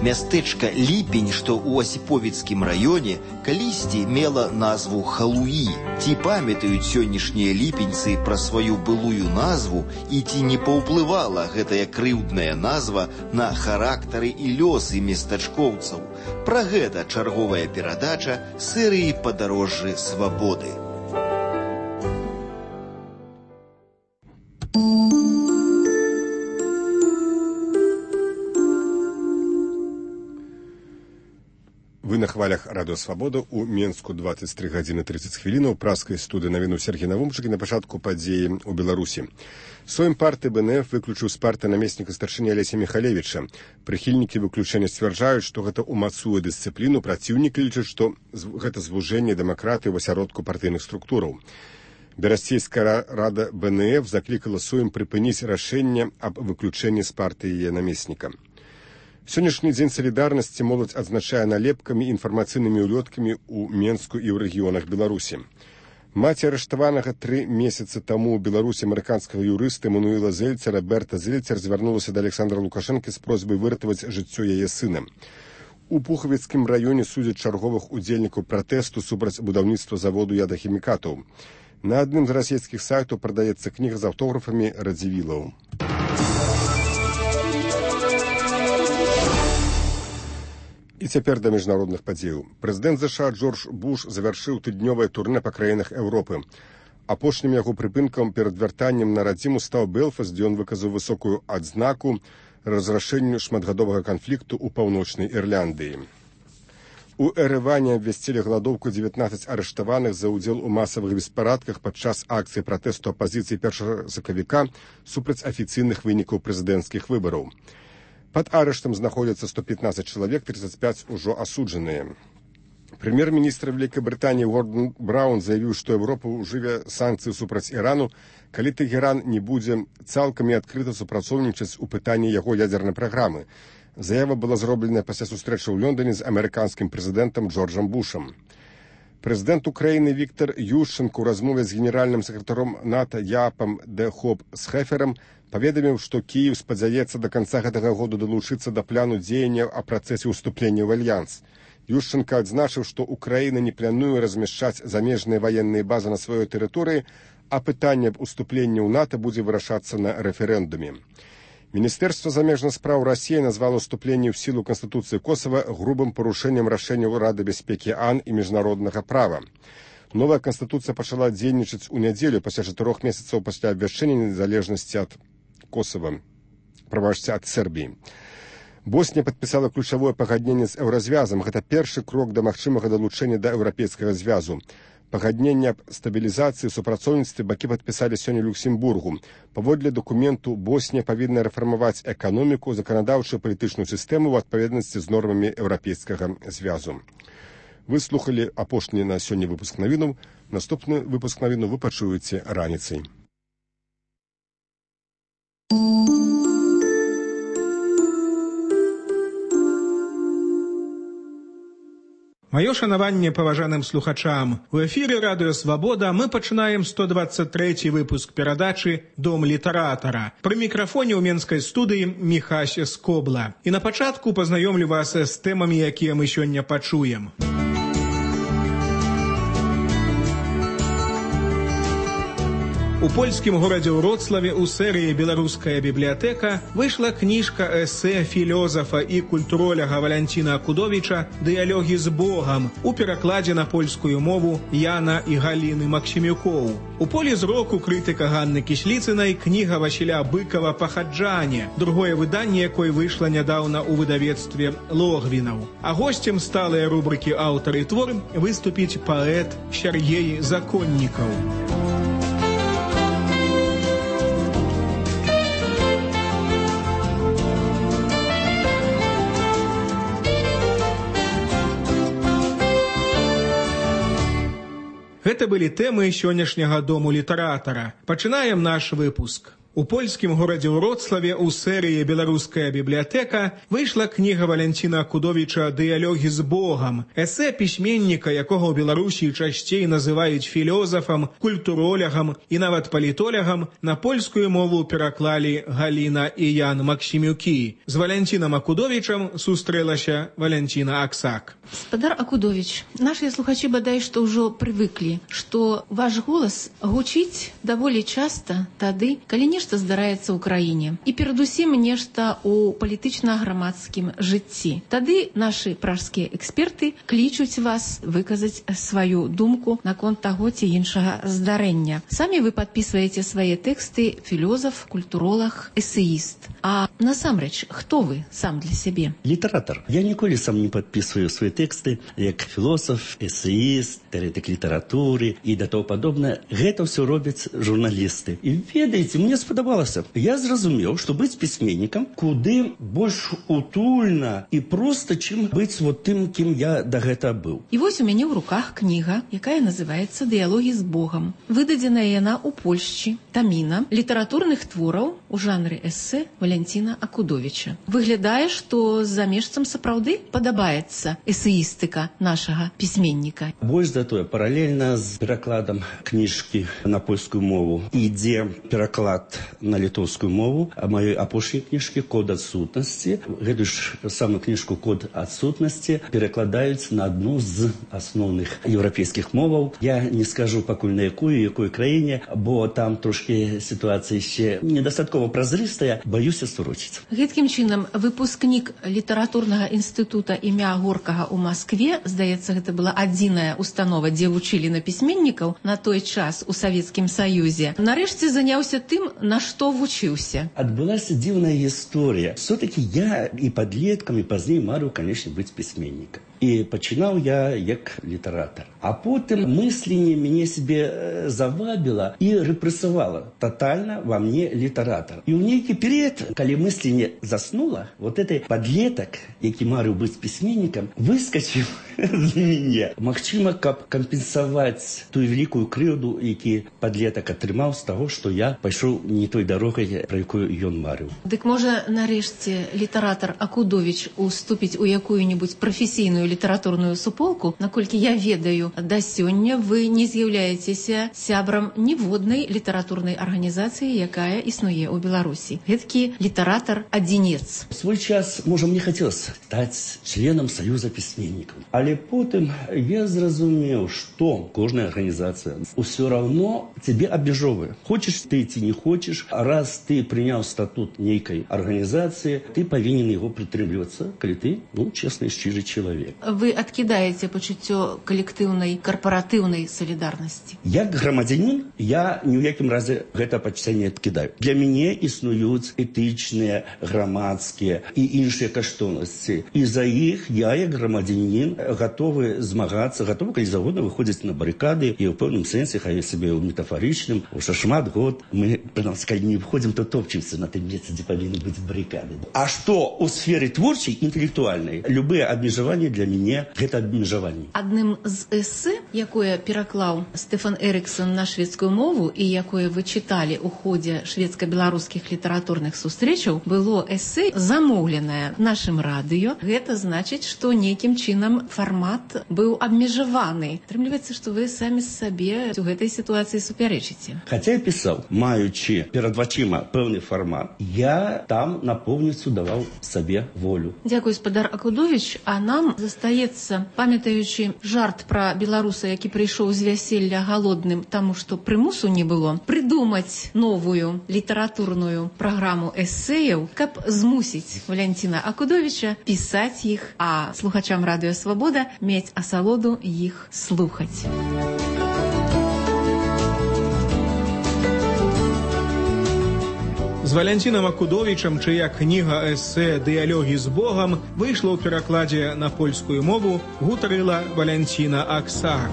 Мястэчка Ліпень, што ў Асіповіцкім раёне, калісьці мела назву Халуі. Ці памятаюць сённяшнія ліпеньцы пра сваю былую назву і ці не паўплывала гэтая крыўдная назва на характары і лёсы местачкоўцаў? Пра гэта чарговая перадача серыі «Падарожжы свабоды». Вы на хвалях радыё «Свабода» у Менску 23 гадзіны 30 хвілінаў. Праскай студыі навіну Сергей Навумчык і на пачатку падзеі ў Беларусі. Сойм партыі БНФ выключыў з партыі намесніка старшыні Алеся Михалевіча. Прыхільнікі выключэння сцвярджаюць, што гэта ўмацуе дысцыпліну, праціўнікі лічаць, што гэта звужэнне дэмакратыі ў асяродку партыйных структураў. Берасцейская рада БНФ заклікала Сойм прыпыніць рашэнне аб выключэнні з партыі намесніка. Сённяшні дзень салідарнасці моладзь адзначае налепкамі і інфармацыйнымі ўлёткамі ў Менску і ў рэгіёнах Беларусі. Маці арыштаванага 3 месяцы таму ў Беларусі амерыканскага юрыста Эмануэла Зельцера Берта Зельцер звярнулася да Александра Лукашэнкі з просьбай выратаваць жыццё яе сына. У Пухавіцкім раёне судзяць чарговых удзельнікаў пратэсту супраць будаўніцтва заводу ядахімікатаў. На адным з расійскіх сайтаў прадаецца кніга з аўтографамі Радзівілаў. І цяпер да міжнародных падзеяў. Прэзідэнт ЗША Джордж Буш завяршыў тыднёвае турнэ па краінах Еўропы. Апошнім яго прыпынкам перад вяртаннем на радзіму стаў Белфаст, дзе ён выказаў высокую адзнаку разрашэнню шматгадовага канфлікту ў паўночнай Ірландыі. У Эрэване абвясцілі галадоўку 19 арыштаваных за ўдзел у масавых беспарадках падчас акцыі пратэсту апазіцыі 1 сакавіка супраць афіцыйных вынікаў прэзідэнцкіх выбараў. Пад арыштам знаходзяцца 115 чалавек, 35 ужо асуджаныя. Прэм'ер-міністр Вялікай Брытаніі Гордон Браўн заявіў, што Еўропа ўжыве санкцыі супраць Ірану, калі Тэгеран не будзе цалкам і адкрыта супрацоўнічаць у пытанні яго ядзернай праграмы. Заява была зроблена пасля сустрэчы ў Лондоне з амерыканскім прэзідэнтам Джорджам Бушам. Прэзідэнт Украіны Віктор Ющенко ў размове з генеральным сакратаром НАТО Яапам де Хоп Схеферам паведаміў, што Кіеў спадзяецца да канца гэтага году далучыцца да плану дзеянняў о працэсе ўступлення ў альянс. Ющенко адзначыў, што Украіна не плануе размяшчаць замежныя ваенныя базы на сваёй тэрыторыі, а пытанне аб уступленні ў НАТО будзе вырашацца на рэферэндуме. Міністэрства замежных спраў Расіі назвало уступленне ў сілу Канстытуцыі Косава грубым парушэннем рашэнняў Рады бяспекі АН і міжнароднага права. Новая Канстытуцыя пачала дзейнічаць у нядзелю пасля 4 месяцаў пасля абвяшчэння незалежнасці ад Косова, прабачце, ад Сербіі. Боснія падпісала ключавое пагадненне з еўразвязам. Гэта першы крок да магчымага далучэння да еўрапейскага звязу. Пагадненне аб стабілізацыі і супрацоўніцтве бакі падпісалі сёння ў Люксембургу. Паводле дакументу Боснія павінна рэфармаваць эканоміку, заканадаўчую палітычную сістэму ў адпаведнасці з нормамі еўрапейскага звязу. Вы слухалі апошні на сёння выпуск навінаў. Наступны выпуск навінаў вы пачуеце раніцай. Маё шанаванне паважаным слухачам. У эфіры радыё «Свабода» мы пачынаем 123 выпуск перадачы «Дом літаратара». Пры мікрафоне ў менскай студыі Міхася Скобла. І на пачатку пазнаёмлю вас з тэмамі, якія мы сёння пачуем. У польскім горадзе Вроцлаве ў серыі «Беларуская бібліятэка» выйшла кніжка эсэ філёзафа і культуроляга Валянціна Акудовіча «Дыялогі з Богам» у перакладзе на польскую мову Яна і Галіны Максімюкоў. У полі зроку крытыка Ганны Кісліцынай кніга Васіля Быкава «Пахаджане», другое выданне якой выйшла нядаўна ў выдавецтве Логвінаў. А госцем сталыя рубрыкі «Аўтар і твор» выступіць паэт Сяргей Законнікаў. Гэта былі тэмы сённяшняга дому літаратара. Пачынаем наш выпуск. У польскім горадзе Вроцлаве ў серыі «Беларуская бібліятэка» выйшла кніга Валянціна Акудовіча «Дыялогі з Богам», эсэ пісьменніка, якога ў Беларусі часцей называюць філёзафам, культуролягам і нават палітолягам, на польскую мову пераклалі Галіна і Ян Максімюкі. З Валянцінам Акудовічам сустрэлася Валянціна Аксак. Спадар Акудович, нашыя слухачы бадай што ўжо прывыклі, што ваш голас гучыць даволі часта тады, калі нешта здараецца ў краіне. І перадусім нешта ў палітычна-грамадскім жыцці. Тады нашы пражскія эксперты клічуць вас выказаць сваю думку наконт таго ці іншага здарэння. Самі вы падпісваеце свае тэксты філёзаф, культуролаг, эсеіст. А насамрэч, хто вы сам для сябе? Літаратар. Я ніколі сам не падпісваю свае тэксты як філосаф, эсеіст, тэоретык літаратуры і да того падобнае. Гэта ўсё робяць журналісты. І ведаеце, мне спадабалася. Я зразумеў, што быць пісьменнікам куды больш утульна і проста, чым быць вот тым, кім я да гэта быў. І вось у мяне ў руках кніга, якая называецца «Дыялогі з Богам». Выдадзеная яна ў Польшчы, таміна літаратурных твораў у жанры эсэ Валянціна Акудовіча. Выглядае, што замежцам сапраўды падабаецца эсеістыка нашага пісьменніка. Больш за тое, паралельна з перакладам кніжкі на польскую мову ідзе пераклад на літоўскую мову маёй апошняй кніжкі «Код адсутнасці». Гэтую ж самую кніжку «Код адсутнасці» перакладаюць на адну з асноўных еўрапейскіх моваў. Я не скажу пакуль на якой краіне, бо там трошки сітуацыя яшчэ недастаткова празрыстая, баюся сурочыць. Гэткім чынам, выпускнік літаратурнага інстытута імя Горкага ў Маскве, здаецца, гэта была адзіная установа, дзе вучылі на пісьменнікаў на той час у Савецкім Саюзе, нарэшце заняўся тым, на што вучыўся. Адбылася дзіўная гісторыя. Все-таки я і падлеткам, і пазней марыў, канешне, быць пісьменнікам. І пачынаў я як літаратар. А потым мысленне мяне себе завабіла і рэпрэсавала тотальна во мне літаратар. І ў нейкі перыяд, калі мысленне заснула, вот этой падлетак, які марыў быць пісьменнікам, выскачыў з мяне. Магчыма, каб кампенсаваць тую великую крыўду, які падлетак атрымаў з таго, што я пайшоў не той дарогай, пра якую ён марыў. Дык можа, нарэшце, літаратар Акудовіч уступіць у якую-нибудь прафесійную літаратурную суполку? Наколькі я ведаю, да сёння вы не з'яўляецеся сябрам ніводнай літаратурнай арганізацыі, якая існуе ў Беларусі. Гэткі літаратар-адзінец. В свой час, можа, мне хацелася стаць членам Саюза пісьменнікаў. Але потым я зразумеў, што кожная арганізацыя ўсё равно цябе абмяжоўвае. Хочаш ты ці не хочаш, раз ты прыняў статут нейкай арганізацыі, ты павінен яго прытрымлівацца, калі ты, честны і шчыры чалавек. Вы адкідаеце пачуццё калектыўнай, карпаратыўнай салідарнасці? Як грамадзянін, я ні ў якім разе гэта пачуцця не адкідаю. Для мяне існуюць этычныя, грамадскія і іншыя каштоўнасці. І за іх я, як грамадзянін, гатовы змагацца, гатовы, калі заводна, выходзіць на барыкады, і ў пэўным сэнсе, хай сабе ў метафарычным, уже шмат год мы, прынамсі, калі не выходзім, то топчемся на тым месцы, дзе павінны быць барыкады. А што ў сферы творчай, інтэлектуальнай, любыя абмежаванні для мяне гэта абмежаванні. Адным з эсэ, якое пераклаў Стефан Эрыксон на шведскую мову і якое вы чыталі ў ходзе шведска-беларускіх літаратурных сустрэчаў, было эсэ замоўленае нашым радыё. Гэта значыць, што нейкім чынам фармат быў абмежаваны. Атрымліваецца, што вы самі сабе у гэтай сітуацыі супярэчыце. Хаця я пісаў, маючы перад вачыма пэўны фармат, я там напоўніцу даваў сабе волю. Дзякуй, спадар Акудовіч, а нам застаецца, памятаючы жарт пра беларуса, які прыйшоў з вяселля галодным, таму што прымусу не было, прыдумаць новую літаратурную праграму эсэяў, каб змусіць Валянціна Акудовіча пісаць іх, а слухачам Радыё Свабода мець асалоду іх слухаць. З Валянцінам Акудовічам, чыя кніга эсэ «Дыялогі з Богам» выйшла ў перакладзе на польскую мову, гутарыла Валянціна Аксак.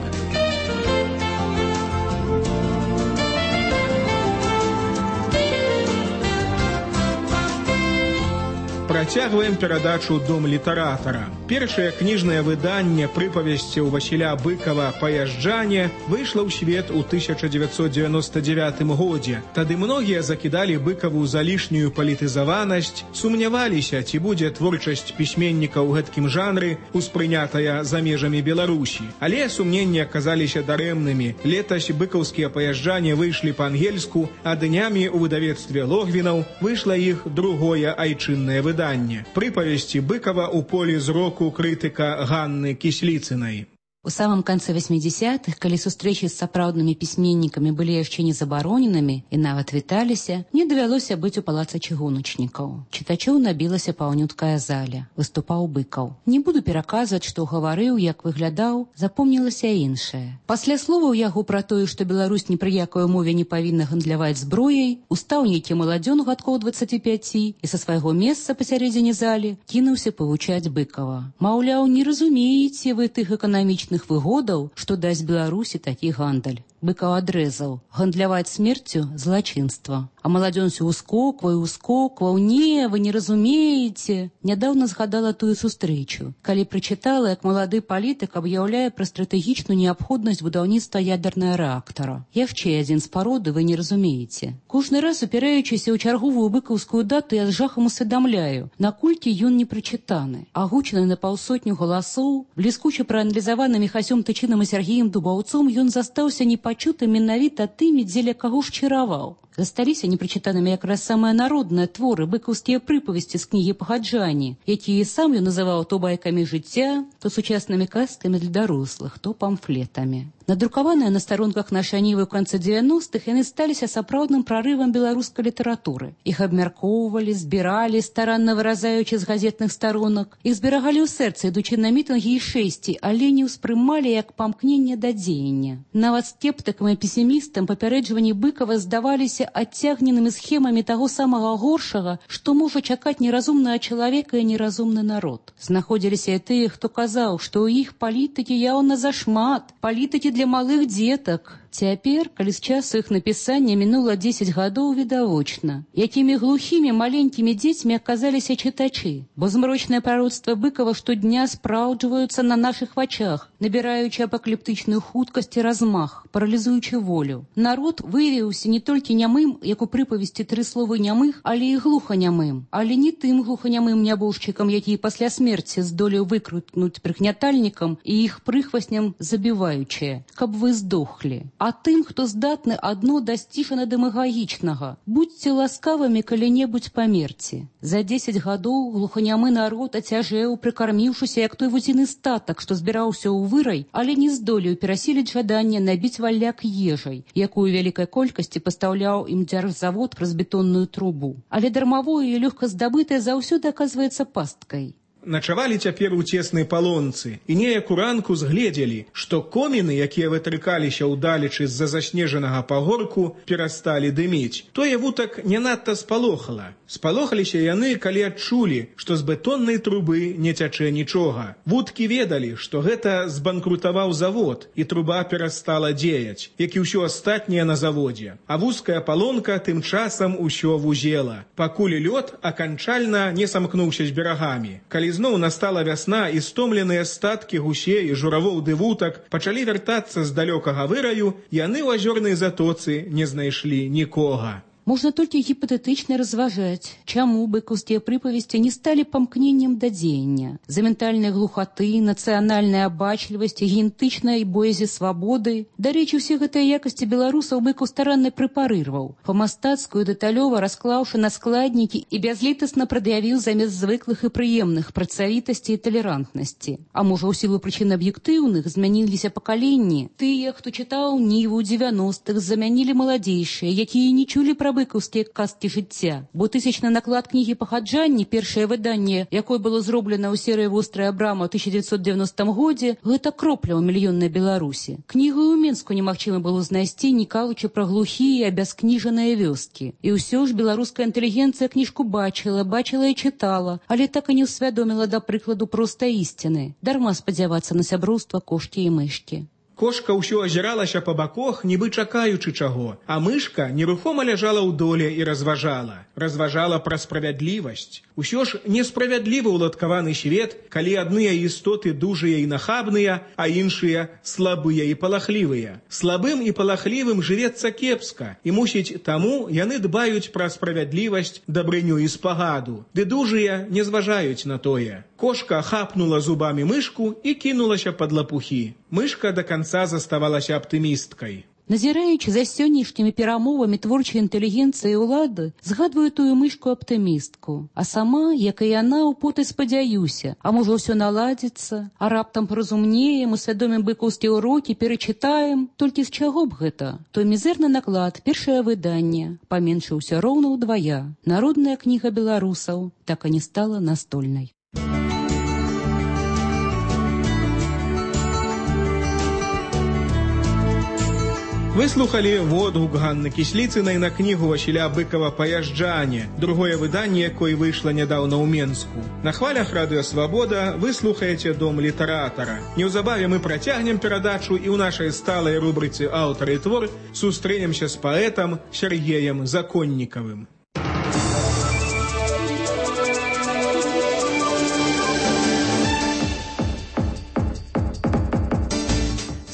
Працягваем перадачу «Дом літаратара». Першае кніжнае выданне прыпавесцяў Васіля Быкава «Паязджане» выйшла ў свет у 1999 годзе. Тады многія закідалі Быкаву за лішнюю палітызаванасць, сумняваліся, ці будзе творчасць пісьменніка ў гэткім жанры успрынятая за межамі Беларусі. Але сумненні аказаліся дарэмнымі. Летась быкаўскія «Паязджане» выйшлі па-ангельску, а днямі ў выдавецтве Логвінаў выйшла іх другое айчыннае выданне. Прыпавесці Быкава ў полі зроку крытыка Ганны Кісліцынай. У самом конце 80-х, калі сустрэчы з сапраўднымі пісьменнікамі былі яшчэ не забароненымі і нават віталіся, мне давялося быць у палацы чыгуначнікаў. Чытачоў набілася паўнюткая заля. Выступаў Быкаў. Не буду пераказваць, што гаварыў, як выглядаў, запомнілася іншае. Пасля словаў яго пра тое, што Беларусь ні пры якой умове не павінна гандляваць зброяй, устаў нейкі маладзён гадкоў 25 і са свайго месца пасярэдзіне залі кінуўся павучаць Быкава. Маўляў, не разумееце вы тых эканамічных выгодаў, што дасць Беларусі такі гандаль. Быкаў адрэзаў: гандляваць смерцю – злачынства. А маладзён усё ускокваў. Не, вы не разумееце. Нядаўна згадала тую сустрэчу, калі прачытала, як малады палітык аб'яўляе пра стратэгічную неабходнасць будаўніцтва ядернага рэактара. Яшчэ адзін з пароды вы не разумееце. Кожны раз, упіраючыся ў чарговую быкаўскую дату, я з жахам усведамляю, наколькі ён не прачытаны. Агучаны на паўсотню галасоў, бліскуча прааналізаваны Міхасём Тычынам і Сергеем Дубаўцом, ён застаўся непачутым менавіта тымі, дзеля каго шчыраваў. Засталіся непрачытанымі якраз самыя народныя творы, быкаўскія прыпавесці з кнігі «Пагаджані», якія сам ён называў то байкамі жыцця, то сучаснымі казкамі для дарослых, то памфлетамі. Надрукаваныя на старонках нашай Нівы ў канцы 90-х, яны сталіся сапраўдным прарывам беларускай літаратуры. Іх абмяркоўвалі, збіралі, старанна выразаючы з газетных старонак. Іх зберагалі ў сэрцы, ідучы на мітынгі і шэсці, але не ўспрымалі як памкненне да дзеяння. Нават скептыкам і песімістам папярэджванні Быкава здаваліся адцягненымі схемамі таго самага горшага, што можа чакаць неразумнага чалавека і неразумны народ. Знаходзіліся і тыя, хто казаў, што ў іх палітыкі яўна зашмат, палітыкі для малых дзетак. Цяпер, калі з часу іх напісання мінула 10 гадоў, відавочна, якімі глухімі маленькімі дзецьмі аказаліся чытачы, бо змрочныя прароцтва Быкава штодня спраўджваюцца на нашых вачах, набіраючы апакаліптычную хуткасць і размах, паралізуючы волю. Народ выявіўся не толькі нямым, як у прыпавесці «Тры словы нямых», але і глуханямым, але не тым глуханямым нябожчыкам, які пасля смерці здолеў выкрутнуць прыгнятальнікам і іх прыхвасням забіваючыя, каб вы здохлі. А тым, хто здатны адно дасціжана дэмагагічнага. Будьце ласкавымі калі-небудзь памерці. За 10 гадоў глуханямы народ ацяжэў, прыкарміўшыся, як той вузіны статак, што збіраўся ў вырай, але не здолеў перасіліць жаданне набіць валяк ежай, якую вялікай колькасці пастаўляў ім дзяржзавод праз бетонную трубу. Але дармавое і лёгка здабытае заўсёды аказваецца пасткай. Начавалі цяпер у цеснай палонцы і неяк уранку згледзелі, што коміны, якія вытрыкаліся ўдалечы з-за заснежанага пагорку, перасталі дыміць. Тое вутак не надта спалохала. Спалохаліся яны, калі адчулі, што з бетоннай трубы не цячэ нічога. Вуткі ведалі, што гэта збанкрутаваў завод, і труба перастала дзеяць, як і ўсё астатняе на заводзе. А вузкая палонка тым часам усё вузела, пакуль лёд аканчальна не самкнуўся з берагамі. Калі зноў настала вясна і стомленыя статкі гусей і журавоў ды вутак пачалі вяртацца з далёкага выраю, яны ў азёрнай затоцы не знайшлі нікога. Можна толькі гіпатэтычна разважаць, чаму быкаўскія прыпавесці не сталі памкненнем да дзеяння. За ментальнай глухаты, нацыянальнай абачлівасці, генетычнай боязі свабоды. Дарэчы, усе гэтыя якасці беларусаў Быкаў старанна прэпарырваў, па-мастацку і дэталёва расклаўшы на складнікі і бязлітасна прад'явіў замест звыклых і прыемных працавітасці і талерантнасці. А можа, у сілу прычын аб'ектыўных змяніліся пакаленні. Тыя, хто чытаў Ніву ў 90-х, замянілі маладзейшыя, якія не чулі пра быкаўскія казкі жыцця, бо тысячны наклад кнігі «Пагаджанні», першае выданне, якое было зроблена ў серыі «Вострая брама» ў 1990 годзе, гэта кропля ў мільённай Беларусі. Кнігу ў Менску немагчыма было знайсці, не кажучы пра глухія, абяскніжаныя вёскі. І ўсё ж беларуская інтэлігенцыя кніжку бачыла і чытала, але так і не ўсвядоміла, да прыкладу, проста ісціны. Дарма спадзявацца на сяброўства кошкі і мышкі. Кошка ўсё азіралася па баках, нібы чакаючы чаго, а мышка нерухома ляжала ў доле і разважала. Разважала пра справядлівасць. Усё ж несправядлівы ўладкаваны свет, калі адныя істоты дужыя і нахабныя, а іншыя слабыя і палахлівыя. Слабым і палахлівым жывецца кепска, і мусіць таму яны дбаюць пра справядлівасць, дабрыню і спагаду. Ды дужыя не зважаюць на тое. Кошка хапнула зубамі мышку і кінулася пад лапухі. Мышка да канца заставалася аптымісткай. Назіраючы за сённяшнімі перамовамі творчай інтэлігенцыі ўлады, згадваю тую мышку-аптымістку. А сама, як і яна, у поты спадзяюся, а можа ўсё наладзіцца, а раптам паразумнеем, усвядомім быкаўскія ўрокі, перачытаем. Толькі з чаго б гэта? Той мізэрны наклад, першае выданне, паменшыўся роўна ўдвая. Народная кніга беларусаў так і не стала настольнай. Вы слухали водгук Ганны Кісліцынай на кнігу Васіля Быкова «Паязджане», другое выданне, якое выйшло нядаўна ў Менску. На хвалях Радыё Свабода вы слухаеце «Дом літаратара». Неўзабаве мы працягнем перадачу і ў нашай сталай рубрыцы «Аўтар і твор» сустрэнемся з паэтам Сергеем Законнікавым.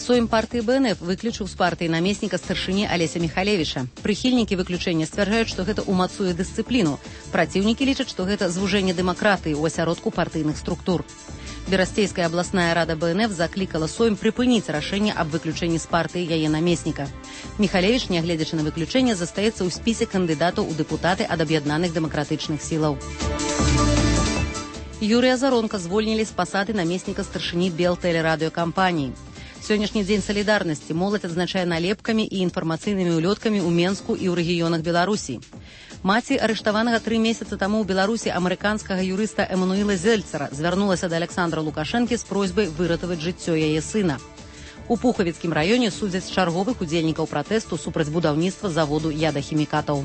Сойм партыі БНФ выключыў з партыі намесніка старшыні Алеся Михалевіча. Прыхільнікі выключэння сцвярджаюць, што гэта ўмацуе дысцыпліну. Праціўнікі лічаць, што гэта звужэнне дэмакратыі ў асяродку партыйных структур. Берасцейская абласная рада БНФ заклікала Сойм прыпыніць рашэнне аб выключэнні з партыі яе намесніка. Михалевіч, нягледзячы на выключэнне, застаецца ў спісе кандыдатаў у дэпутаты ад аб'яднаных дэмакратычных сілаў. Юрыя Заронка звольнілі з пасады намесніка старшыні Белтэлерадыёкампаніі. Сённяшні дзень салідарнасці моладзь адзначае налепкамі і інфармацыйнымі ўлёткамі ў Менску і ў рэгіёнах Беларусі. Маці арыштаванага 3 месяцы таму ў Беларусі амерыканскага юрыста Эмануіла Зельцера звярнулася да Александра Лукашэнкі з просьбай выратаваць жыццё яе сына. У Пухавіцкім раёне судзяць чарговых удзельнікаў пратэсту супраць будаўніцтва заводу ядахімікатаў.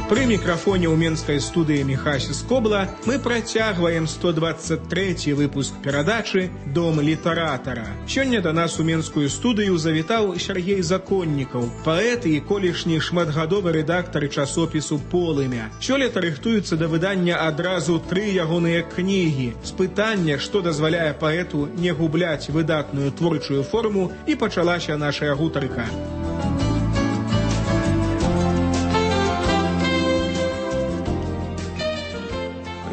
Пры мікрафоне ў менскай студыі Міхась Скобла мы працягваем 123 выпуск перадачы «Дом літаратара». Сёння да нас у менскую студыю завітаў Сергей Законнікаў, паэт і колішні шматгадовы рэдактар часопісу «Полымя». Сёлета рыхтуюцца да выдання адразу 3 ягоныя кнігі. З пытання, што дазваляе паэту не губляць выдатную творчую форму, і пачалася нашая гутарка.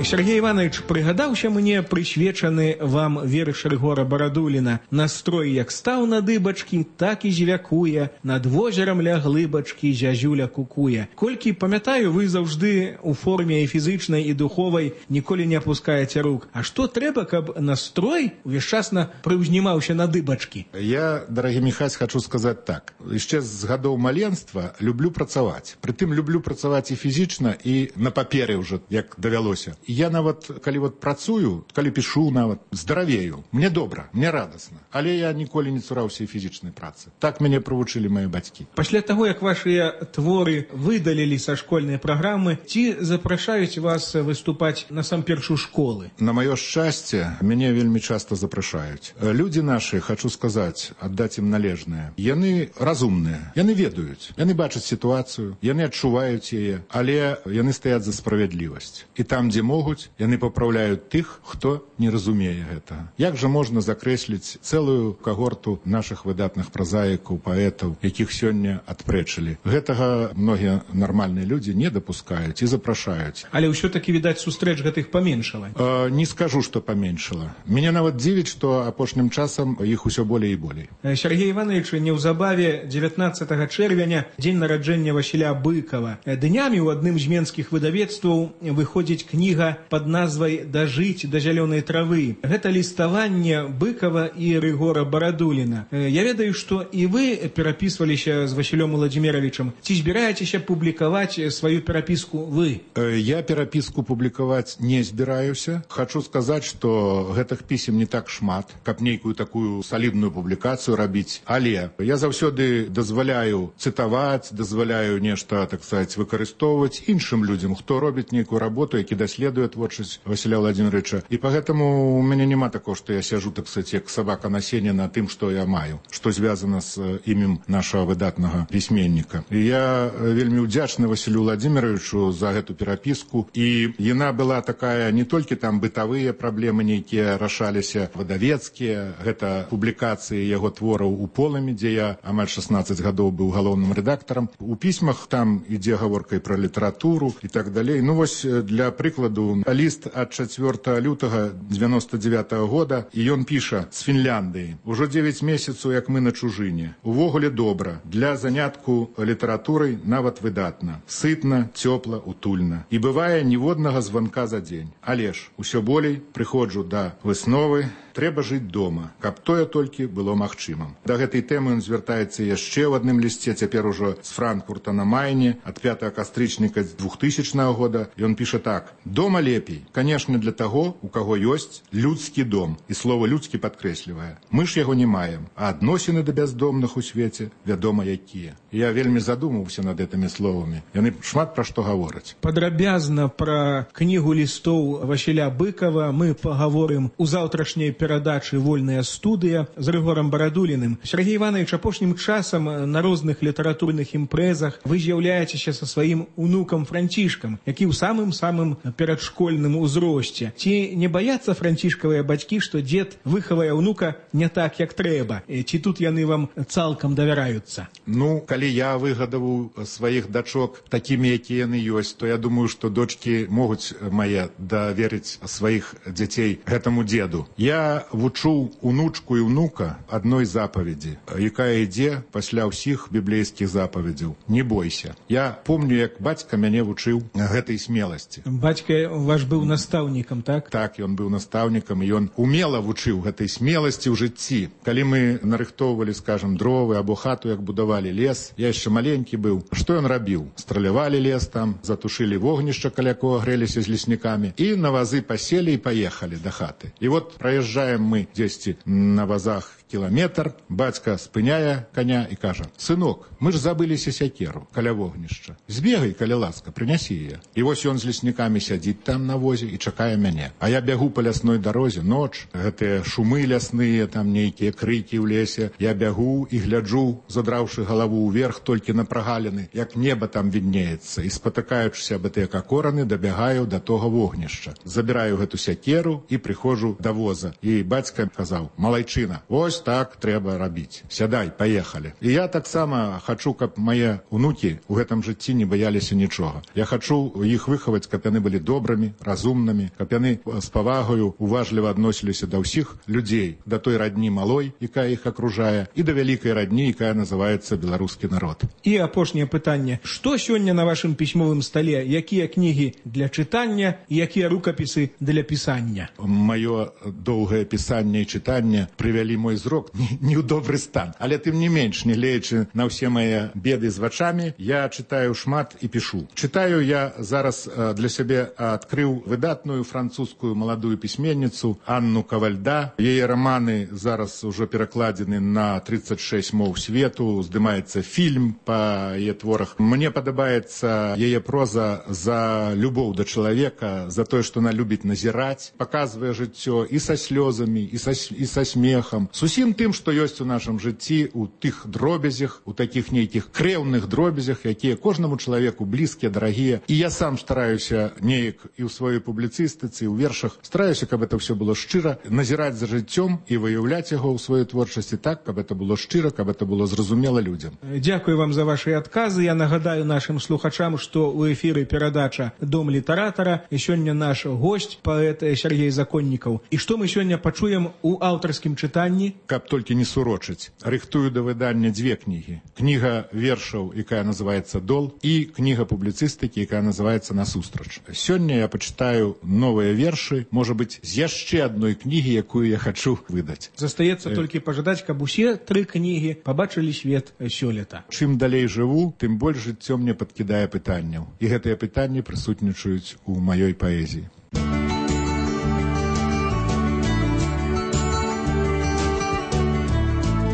Сергей Иванович, прыгадаўся мне прысвечаны вам верш Рыгора Барадуліна. Настрой як стаў на дыбачкі, так і звякуе, над возерам ля глыбачкі зязюля кукуе. Колькі памятаю, вы заўжды у форме і фізычнай, і духовай ніколі не апускаеце рук. А што трэба, каб настрой увесчасна прыўзнімаўся на дыбачкі? Я, дарагі Міхась, хочу сказаць так. Яшчэ з гадоў маленства люблю працаваць. Прытым люблю працаваць і фізічна, і на паперы ўжо, як давялося. Я нават, калі працую, калі пішу нават, здаравею. Мне добра, мне радасна. Але я ніколі не цураўся і фізічнай працы. Так мяне прывучылі мае бацькі. Пасля таго, як вашыя творы выдалілі са школьнай праграмы, ці запрашаюць вас выступаць насамперш у школы? На маё шчасце, мяне вельмі часта запрашаюць. Людзі нашы, хочу сказаць, аддаць ім належнае. Яны разумныя, яны ведаюць, яны бачаць сітуацыю, яны адчуваюць яе, але яны стаяць за справядлівасць. І там, дзе могуць, яны папраўляюць тых, хто не разумее гэтага. Як жа можна закрэсліць цэлую кагорту нашых выдатных празаікаў, паэтаў, якіх сёння адпрэчылі? Гэтага многія нармальныя людзі не дапускаюць і запрашаюць. Але ўсё-такі, відаць, сустрэч гэтых паменшала. Не скажу, што паменшала. Мяне нават дзівіць, што апошнім часам іх усё болей і болей. Сергей Иванович, неўзабаве 19 чэрвеня, дзень нараджэння Васіля Быкова. Днямі ў адным з менскіх выдавецтваў выходзіць кніга кніга под назвай «Дажыць да зялёнай травы». Гэта ліставанне Быкова і Рыгора Барадуліна. Я ведаю, што і вы перапісваліся з Васілём Владзіміровичам. Ці збіраецеся публікаваць сваю перапіску вы? Я перапіску публікаваць не збіраюся. Хачу сказаць, што гэтых пісем не так шмат, каб нейкую такую салідную публікацыю рабіць. Але я заўсёды дазваляю цытаваць, дазваляю нешта, так сказать, выкарыстоўваць іншым людзям, хто робіць нейкую работу, які даследуе творчасць Васіля Владзіміровича. І пагэтаму у мяне няма такого, што я сяжу, так сказать, як сабака на сене на тым, што я маю, што звязана з імем нашага выдатнага пісьменніка. І я вельмі ўдзячны Васілю Владзіміровичу за гэту перапіску. І яна была такая, не толькі там бытавыя праблемы нейкія рашаліся, выдавецкія, гэта публікацыі яго твораў у полымі, дзе я амаль 16 гадоў быў галоўным рэдактарам. У пісьмах там ідзе гаворка і пра літаратуру і так далей. Ну вось для прыкладу ліст ад 4 лютага 99-го года, і ён піша з Фінляндыі. Ужо 9 месяцаў, як мы на чужыне. Увогуле добра. Для занятку літаратурай нават выдатна. Сытна, цёпла, утульна. І бывае ніводнага званка за дзень. Але ж усё болей прыходжу да высновы, трэба жыць дома, каб тое толькі было магчымым. Да гэтай тэмы ён звяртаецца яшчэ ў адным лісце, цяпер ужо з Франкфурта на Майне, ад 5 кастрычніка 2000 года. Ён піша так: «Дома лепей, канешне, для таго, у каго ёсць людскі дом». І слово «людскі» падкрэслівае. Мы ж яго не маем, а адносіны да бяздомных у свеце вядома якія. Я вельмі задумаўся над гэтымі словамі. Яны шмат пра што гавораць. Падрабязна пра кнігу лістоў Васіля Быкова мы паговорым у заўтрашняй перадачы «Вольная студыя» з Рыгорам Барадуліным. Сергей Иванович, апошнім часам на розных літаратурных імпрэзах вы з'яўляецеся са сваім унукам Францішкам, які ў самым-самым перадшкольным узросце. Ці не баяцца францішкавыя бацькі, што дзед выхавае ўнука не так, як трэба? Ці тут яны вам цалкам давяраюцца? Ну, калі я выгадаваў сваіх дачок такімі, якія яны ёсць, то я думаю, што дочкі могуць мае даверыць сваіх дзяцей гэтаму дзеду. Я вучу унучку і ўнука адной запаведзі, якая ідзе пасля ўсіх біблейскіх запаведзяў. Не бойся. Я помню, як бацька мяне вучыў гэтай смеласці. Бацька ваш быў настаўнікам, так? Так, ён быў настаўнікам, і ён умела вучыў гэтай смеласці ў жыцці. Калі мы нарыхтоўвалі, скажам, дровы або хату, як будавалі лес, я яшчэ маленькі быў. Што ён рабіў? Стралявалі лес там, затушылі вогнішча, каля кого грэліся з леснікамі, і на вазы паселі і паехалі да хаты. І вот праязджаем мы дзесьці на вазах кіламетр, бацька спыняе коня і кажа: «Сынок, мы ж забыліся сякеру каля вогнішча. Збегай, каля ласка, прынясі яе». І вось ён з леснікамі сядзіць там на возе і чакае мяне. А я бягу па лясной дарозе, ноч, гэтыя шумы лясныя, там нейкія крыкі ў лесе. Я бягу і гляджу, задраўшы галаву ўверх толькі на прагаліны, як неба там віднеецца, і спатыкаючыся аб гэтыя какораны, дабягаю да того вогнішча. Забіраю гэту сякеру і прыходжу да воза. І бацька казаў: «Малайчына, ось так трэба рабіць. Сядай, паехалі». І я таксама хачу, каб мае унукі ў гэтым жыцці не баяліся нічога. Я хачу іх выхаваць, каб яны былі добрымі, разумнымі, каб яны з павагаю уважліва адносіліся да ўсіх людзей, да той радні малой, якая іх акружае, і да вялікай радні, якая называецца беларускі народ. І апошняе пытанне: што сёння на вашым пісьмовым стале? Якія кнігі для чытання і якія рукапісы для пісання? Маё доўгае пісанне і чытанне прывялі мой зрок не ў добры стан. Але тым не менш, не гледзячы на ўсе мае беды з вачамі, я чытаю шмат і пішу. Чытаю я зараз для сябе адкрыў выдатную французскую маладую пісьменніцу Анну Кавальда. Яе раманы зараз ужо перакладзены на 36 моў свету, здымаецца фільм па яе творах. Мне падабаецца яе проза за любоў да чалавека, за тое, што она любіць назіраць, паказвае жыццё і са слёзамі, і са смехам, з усім тым, што ёсць у нашым жыцці, у тых дробязях, у такіх нейкіх крэўных дробязях, якія кожнаму чалавеку блізкія, дарагія. І я сам стараюся неяк і ў сваёй публіцыстыцы, і ў вершах, стараюся, каб это ўсё было шчыра, назіраць за жыццём і выяўляць яго ў сваёй творчасці так, каб это было шчыра, каб это было зразумела людзям. Дзякую вам за ваши адказы. Я нагадаю нашим слухачам, што ў эфіры перадача «Дом літаратара». І сёння наш госць, паэт Сергей Законнікаў. І што мы сёння сёння пачуем у аўтарскім чытанні? Каб толькі не сурочыць, рыхтую да выдання дзве кнігі. Кніга вершаў, якая называецца «Дол», і кніга публіцыстыкі, якая называецца «Насустрач». Сёння я пачытаю новыя вершы, можа быць, з яшчэ адной кнігі, якую я хачу выдаць. Застаецца толькі пажадаць, каб усе 3 кнігі пабачылі свет сёлета. Чым далей жыву, тым больш жыццё мне падкідае пытанняў. І гэтыя пытанні прысутнічаюць у маёй паэзіі.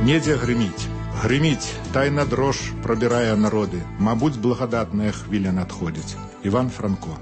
Недзе грыміць. Грыміць, тайна дрож прабірае народы. Мабуць, благадатная хвіля надходзіць. Іван Франко.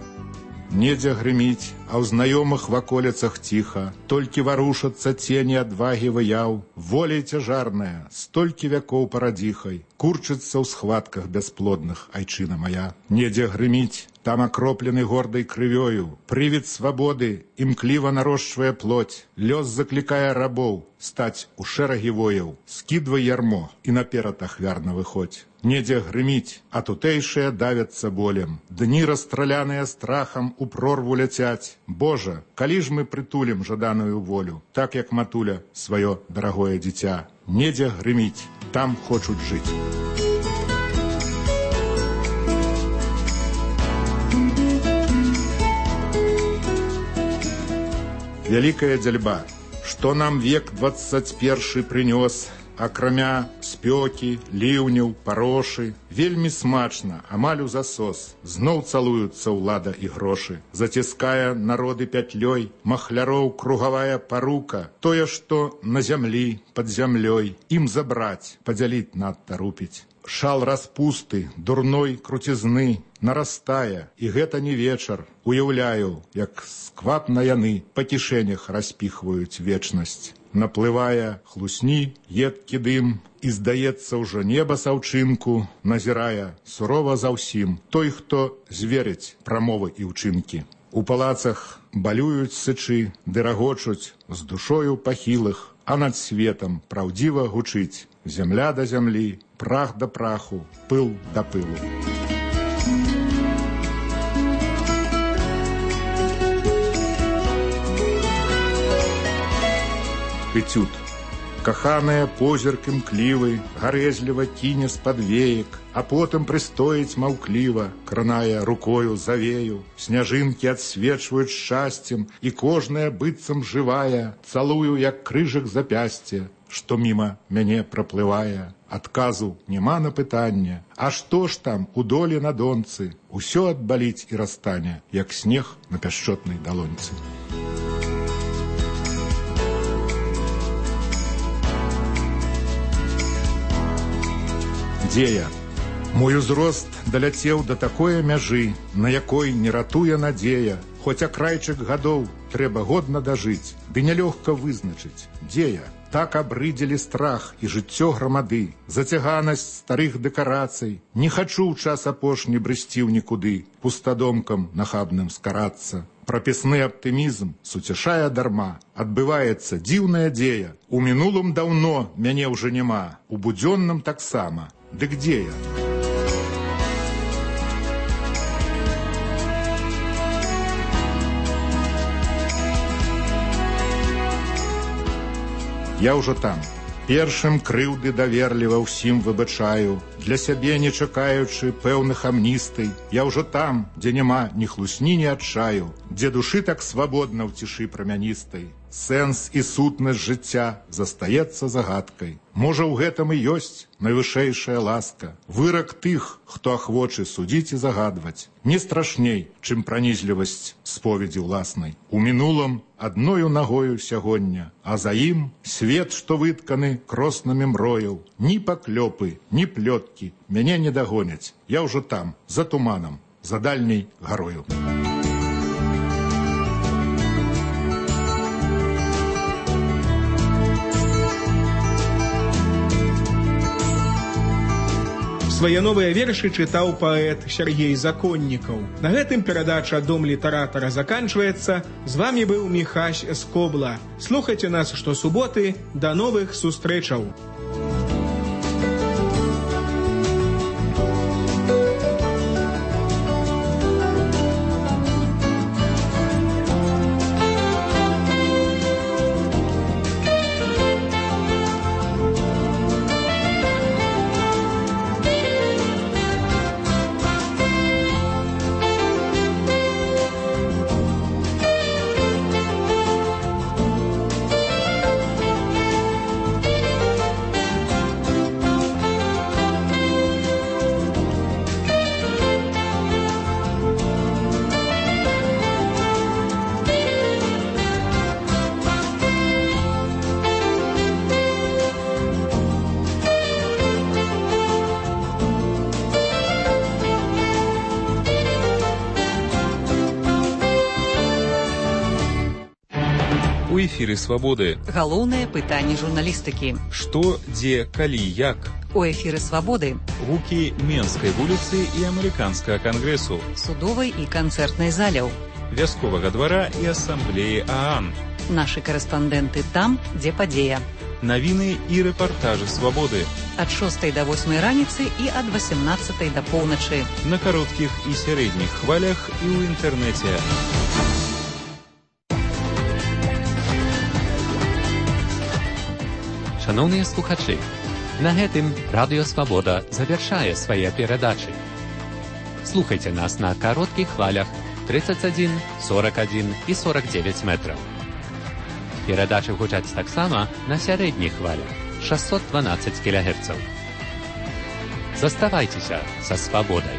Недзе грыміць, а ў знаёмых ваколіцах ціха, толькі варушацца цені адвагі выяў, воля цяжарная, столькі вякоў парадзіхай, курчыцца ў схватках бясплодных, айчына моя. Недзе грыміць, там акроплены гордай крывёю, прывід свабоды імкліва нарошчвае плоть, лёс заклікае рабоў стаць у шэрагі вояў, скідвай ярмо і наперад ахвярна выходзь. Недзе грыміць, а тутэйшыя давяцца болем, дні расстраляныя страхам у прорву ляцяць. Божа, калі ж мы прытулім жаданую волю, так як матуля сваё дарагое дзіця. Недзе грыміць, там хочуць жыць. Вялікая дзяльба, што нам век 21 прынёс, акрамя спёкі, ліўняў, парошы, вельмі смачна, амаль у засос, зноў цалуюцца ўлада і грошы. Заціскае народы пятлёй, махляроў кругавая парука, тое, што на зямлі, пад зямлёй, ім забраць, падзяліць надта рупіць. Шал распусты, дурной круцізны, нарастае, і гэта не вечар. Уяўляю, як сквапна яны па кішэнях распіхваюць вечнасць. Наплывае хлусні, едкі дым, і здаецца ўжо неба саўчынку, назірае сурова за ўсім той, хто зверыць прамовы і ўчынкі. У палацах балююць сычы, ды рагочуць з душою пахілых, а над светам праўдзіва гучыць зямля да зямлі, прах да праху, пыл да пылу. Этюд. Каханая позірк імклівы, гарэзліва кіне з-пад веек, а потым прыстоіць маўкліва, кранае рукою завею. Сняжынкі адсвечваюць шчасцем, і кожная быццам жывая, цалую, як крыжык запясце, што міма мяне праплывае. Адказу няма на пытанне, а што ж там у долі на донцы? Усё адбаліць і расстане, як снег на пяшчотнай далонцы. Дзе я? Мой узрост даляцеў да такое мяжы, на якой не ратуе надзея. Хоць акрайчык гадоў трэба годна дажыць, ды нялёгка вызначыць, дзе я? Так абрыдзелі страх і жыццё грамады, зацяганасць старых дэкарацый. Не хачу ў час апошні брысці ў нікуды, пустадомкам нахабным скарацца. Прапісны аптымізм суцяшае дарма, адбываецца дзіўная дзея. У мінулым даўно мяне ўжо няма, у будзённым таксама. Дык дзе я? Я ўжо там. Першым крыўды даверліва ўсім выбачаю, для сябе не чакаючы пэўных амністый. Я ўжо там, дзе няма ні хлусні, ні адчаю, дзе душы так свабодна ў цішы прамяністай. Сэнс і сутнасць жыцця застаецца загадкай. Можа, ў гэтым і ёсць найвышэйшая ласка. Вырак тых, хто ахвочы судзіць і загадваць. Не страшней, чым пранізлівасць споведзі ўласнай. У мінулым адною нагою сягоння, а за ім свет, што вытканы кроснамі мрояў. Ні паклёпы, ні плёткі мяне не дагоняць. Я ўжо там, за туманам, за дальняй гарою. Свае новыя вершы чытаў паэт Сергей Законнікаў. На гэтым перадача «Дом літаратара» заканчваецца. З вамі быў Міхась Скобла. Слухайце нас штосуботы. Да новых сустрэчаў! У эфіры «Свабоды». Галоўнае пытанне журналістыкі. Што, дзе, калі, як? У эфіры «Свабоды». Гукі Менскай вуліцы і Амерыканскага кангрэсу. Судовай і канцэртнай заляў. Вясковага двара і асамблеі ААН. Нашы карэспандэнты там, дзе падзея. Навіны і рэпартажы «Свабоды». Ад 6 до 8 раніцы і ад 18 до поўначы. На кароткіх і сярэдніх хвалях і ў інтэрнэце. Шановныя слухачы, на гэтым Радыё Свабода завяршае свае перадачы. Слухайце нас на кароткіх хвалях 31, 41 і 49 метраў. Перадачы гучаць таксама на сярэдніх хвалях 612 кГц. Заставайцеся са свабодай.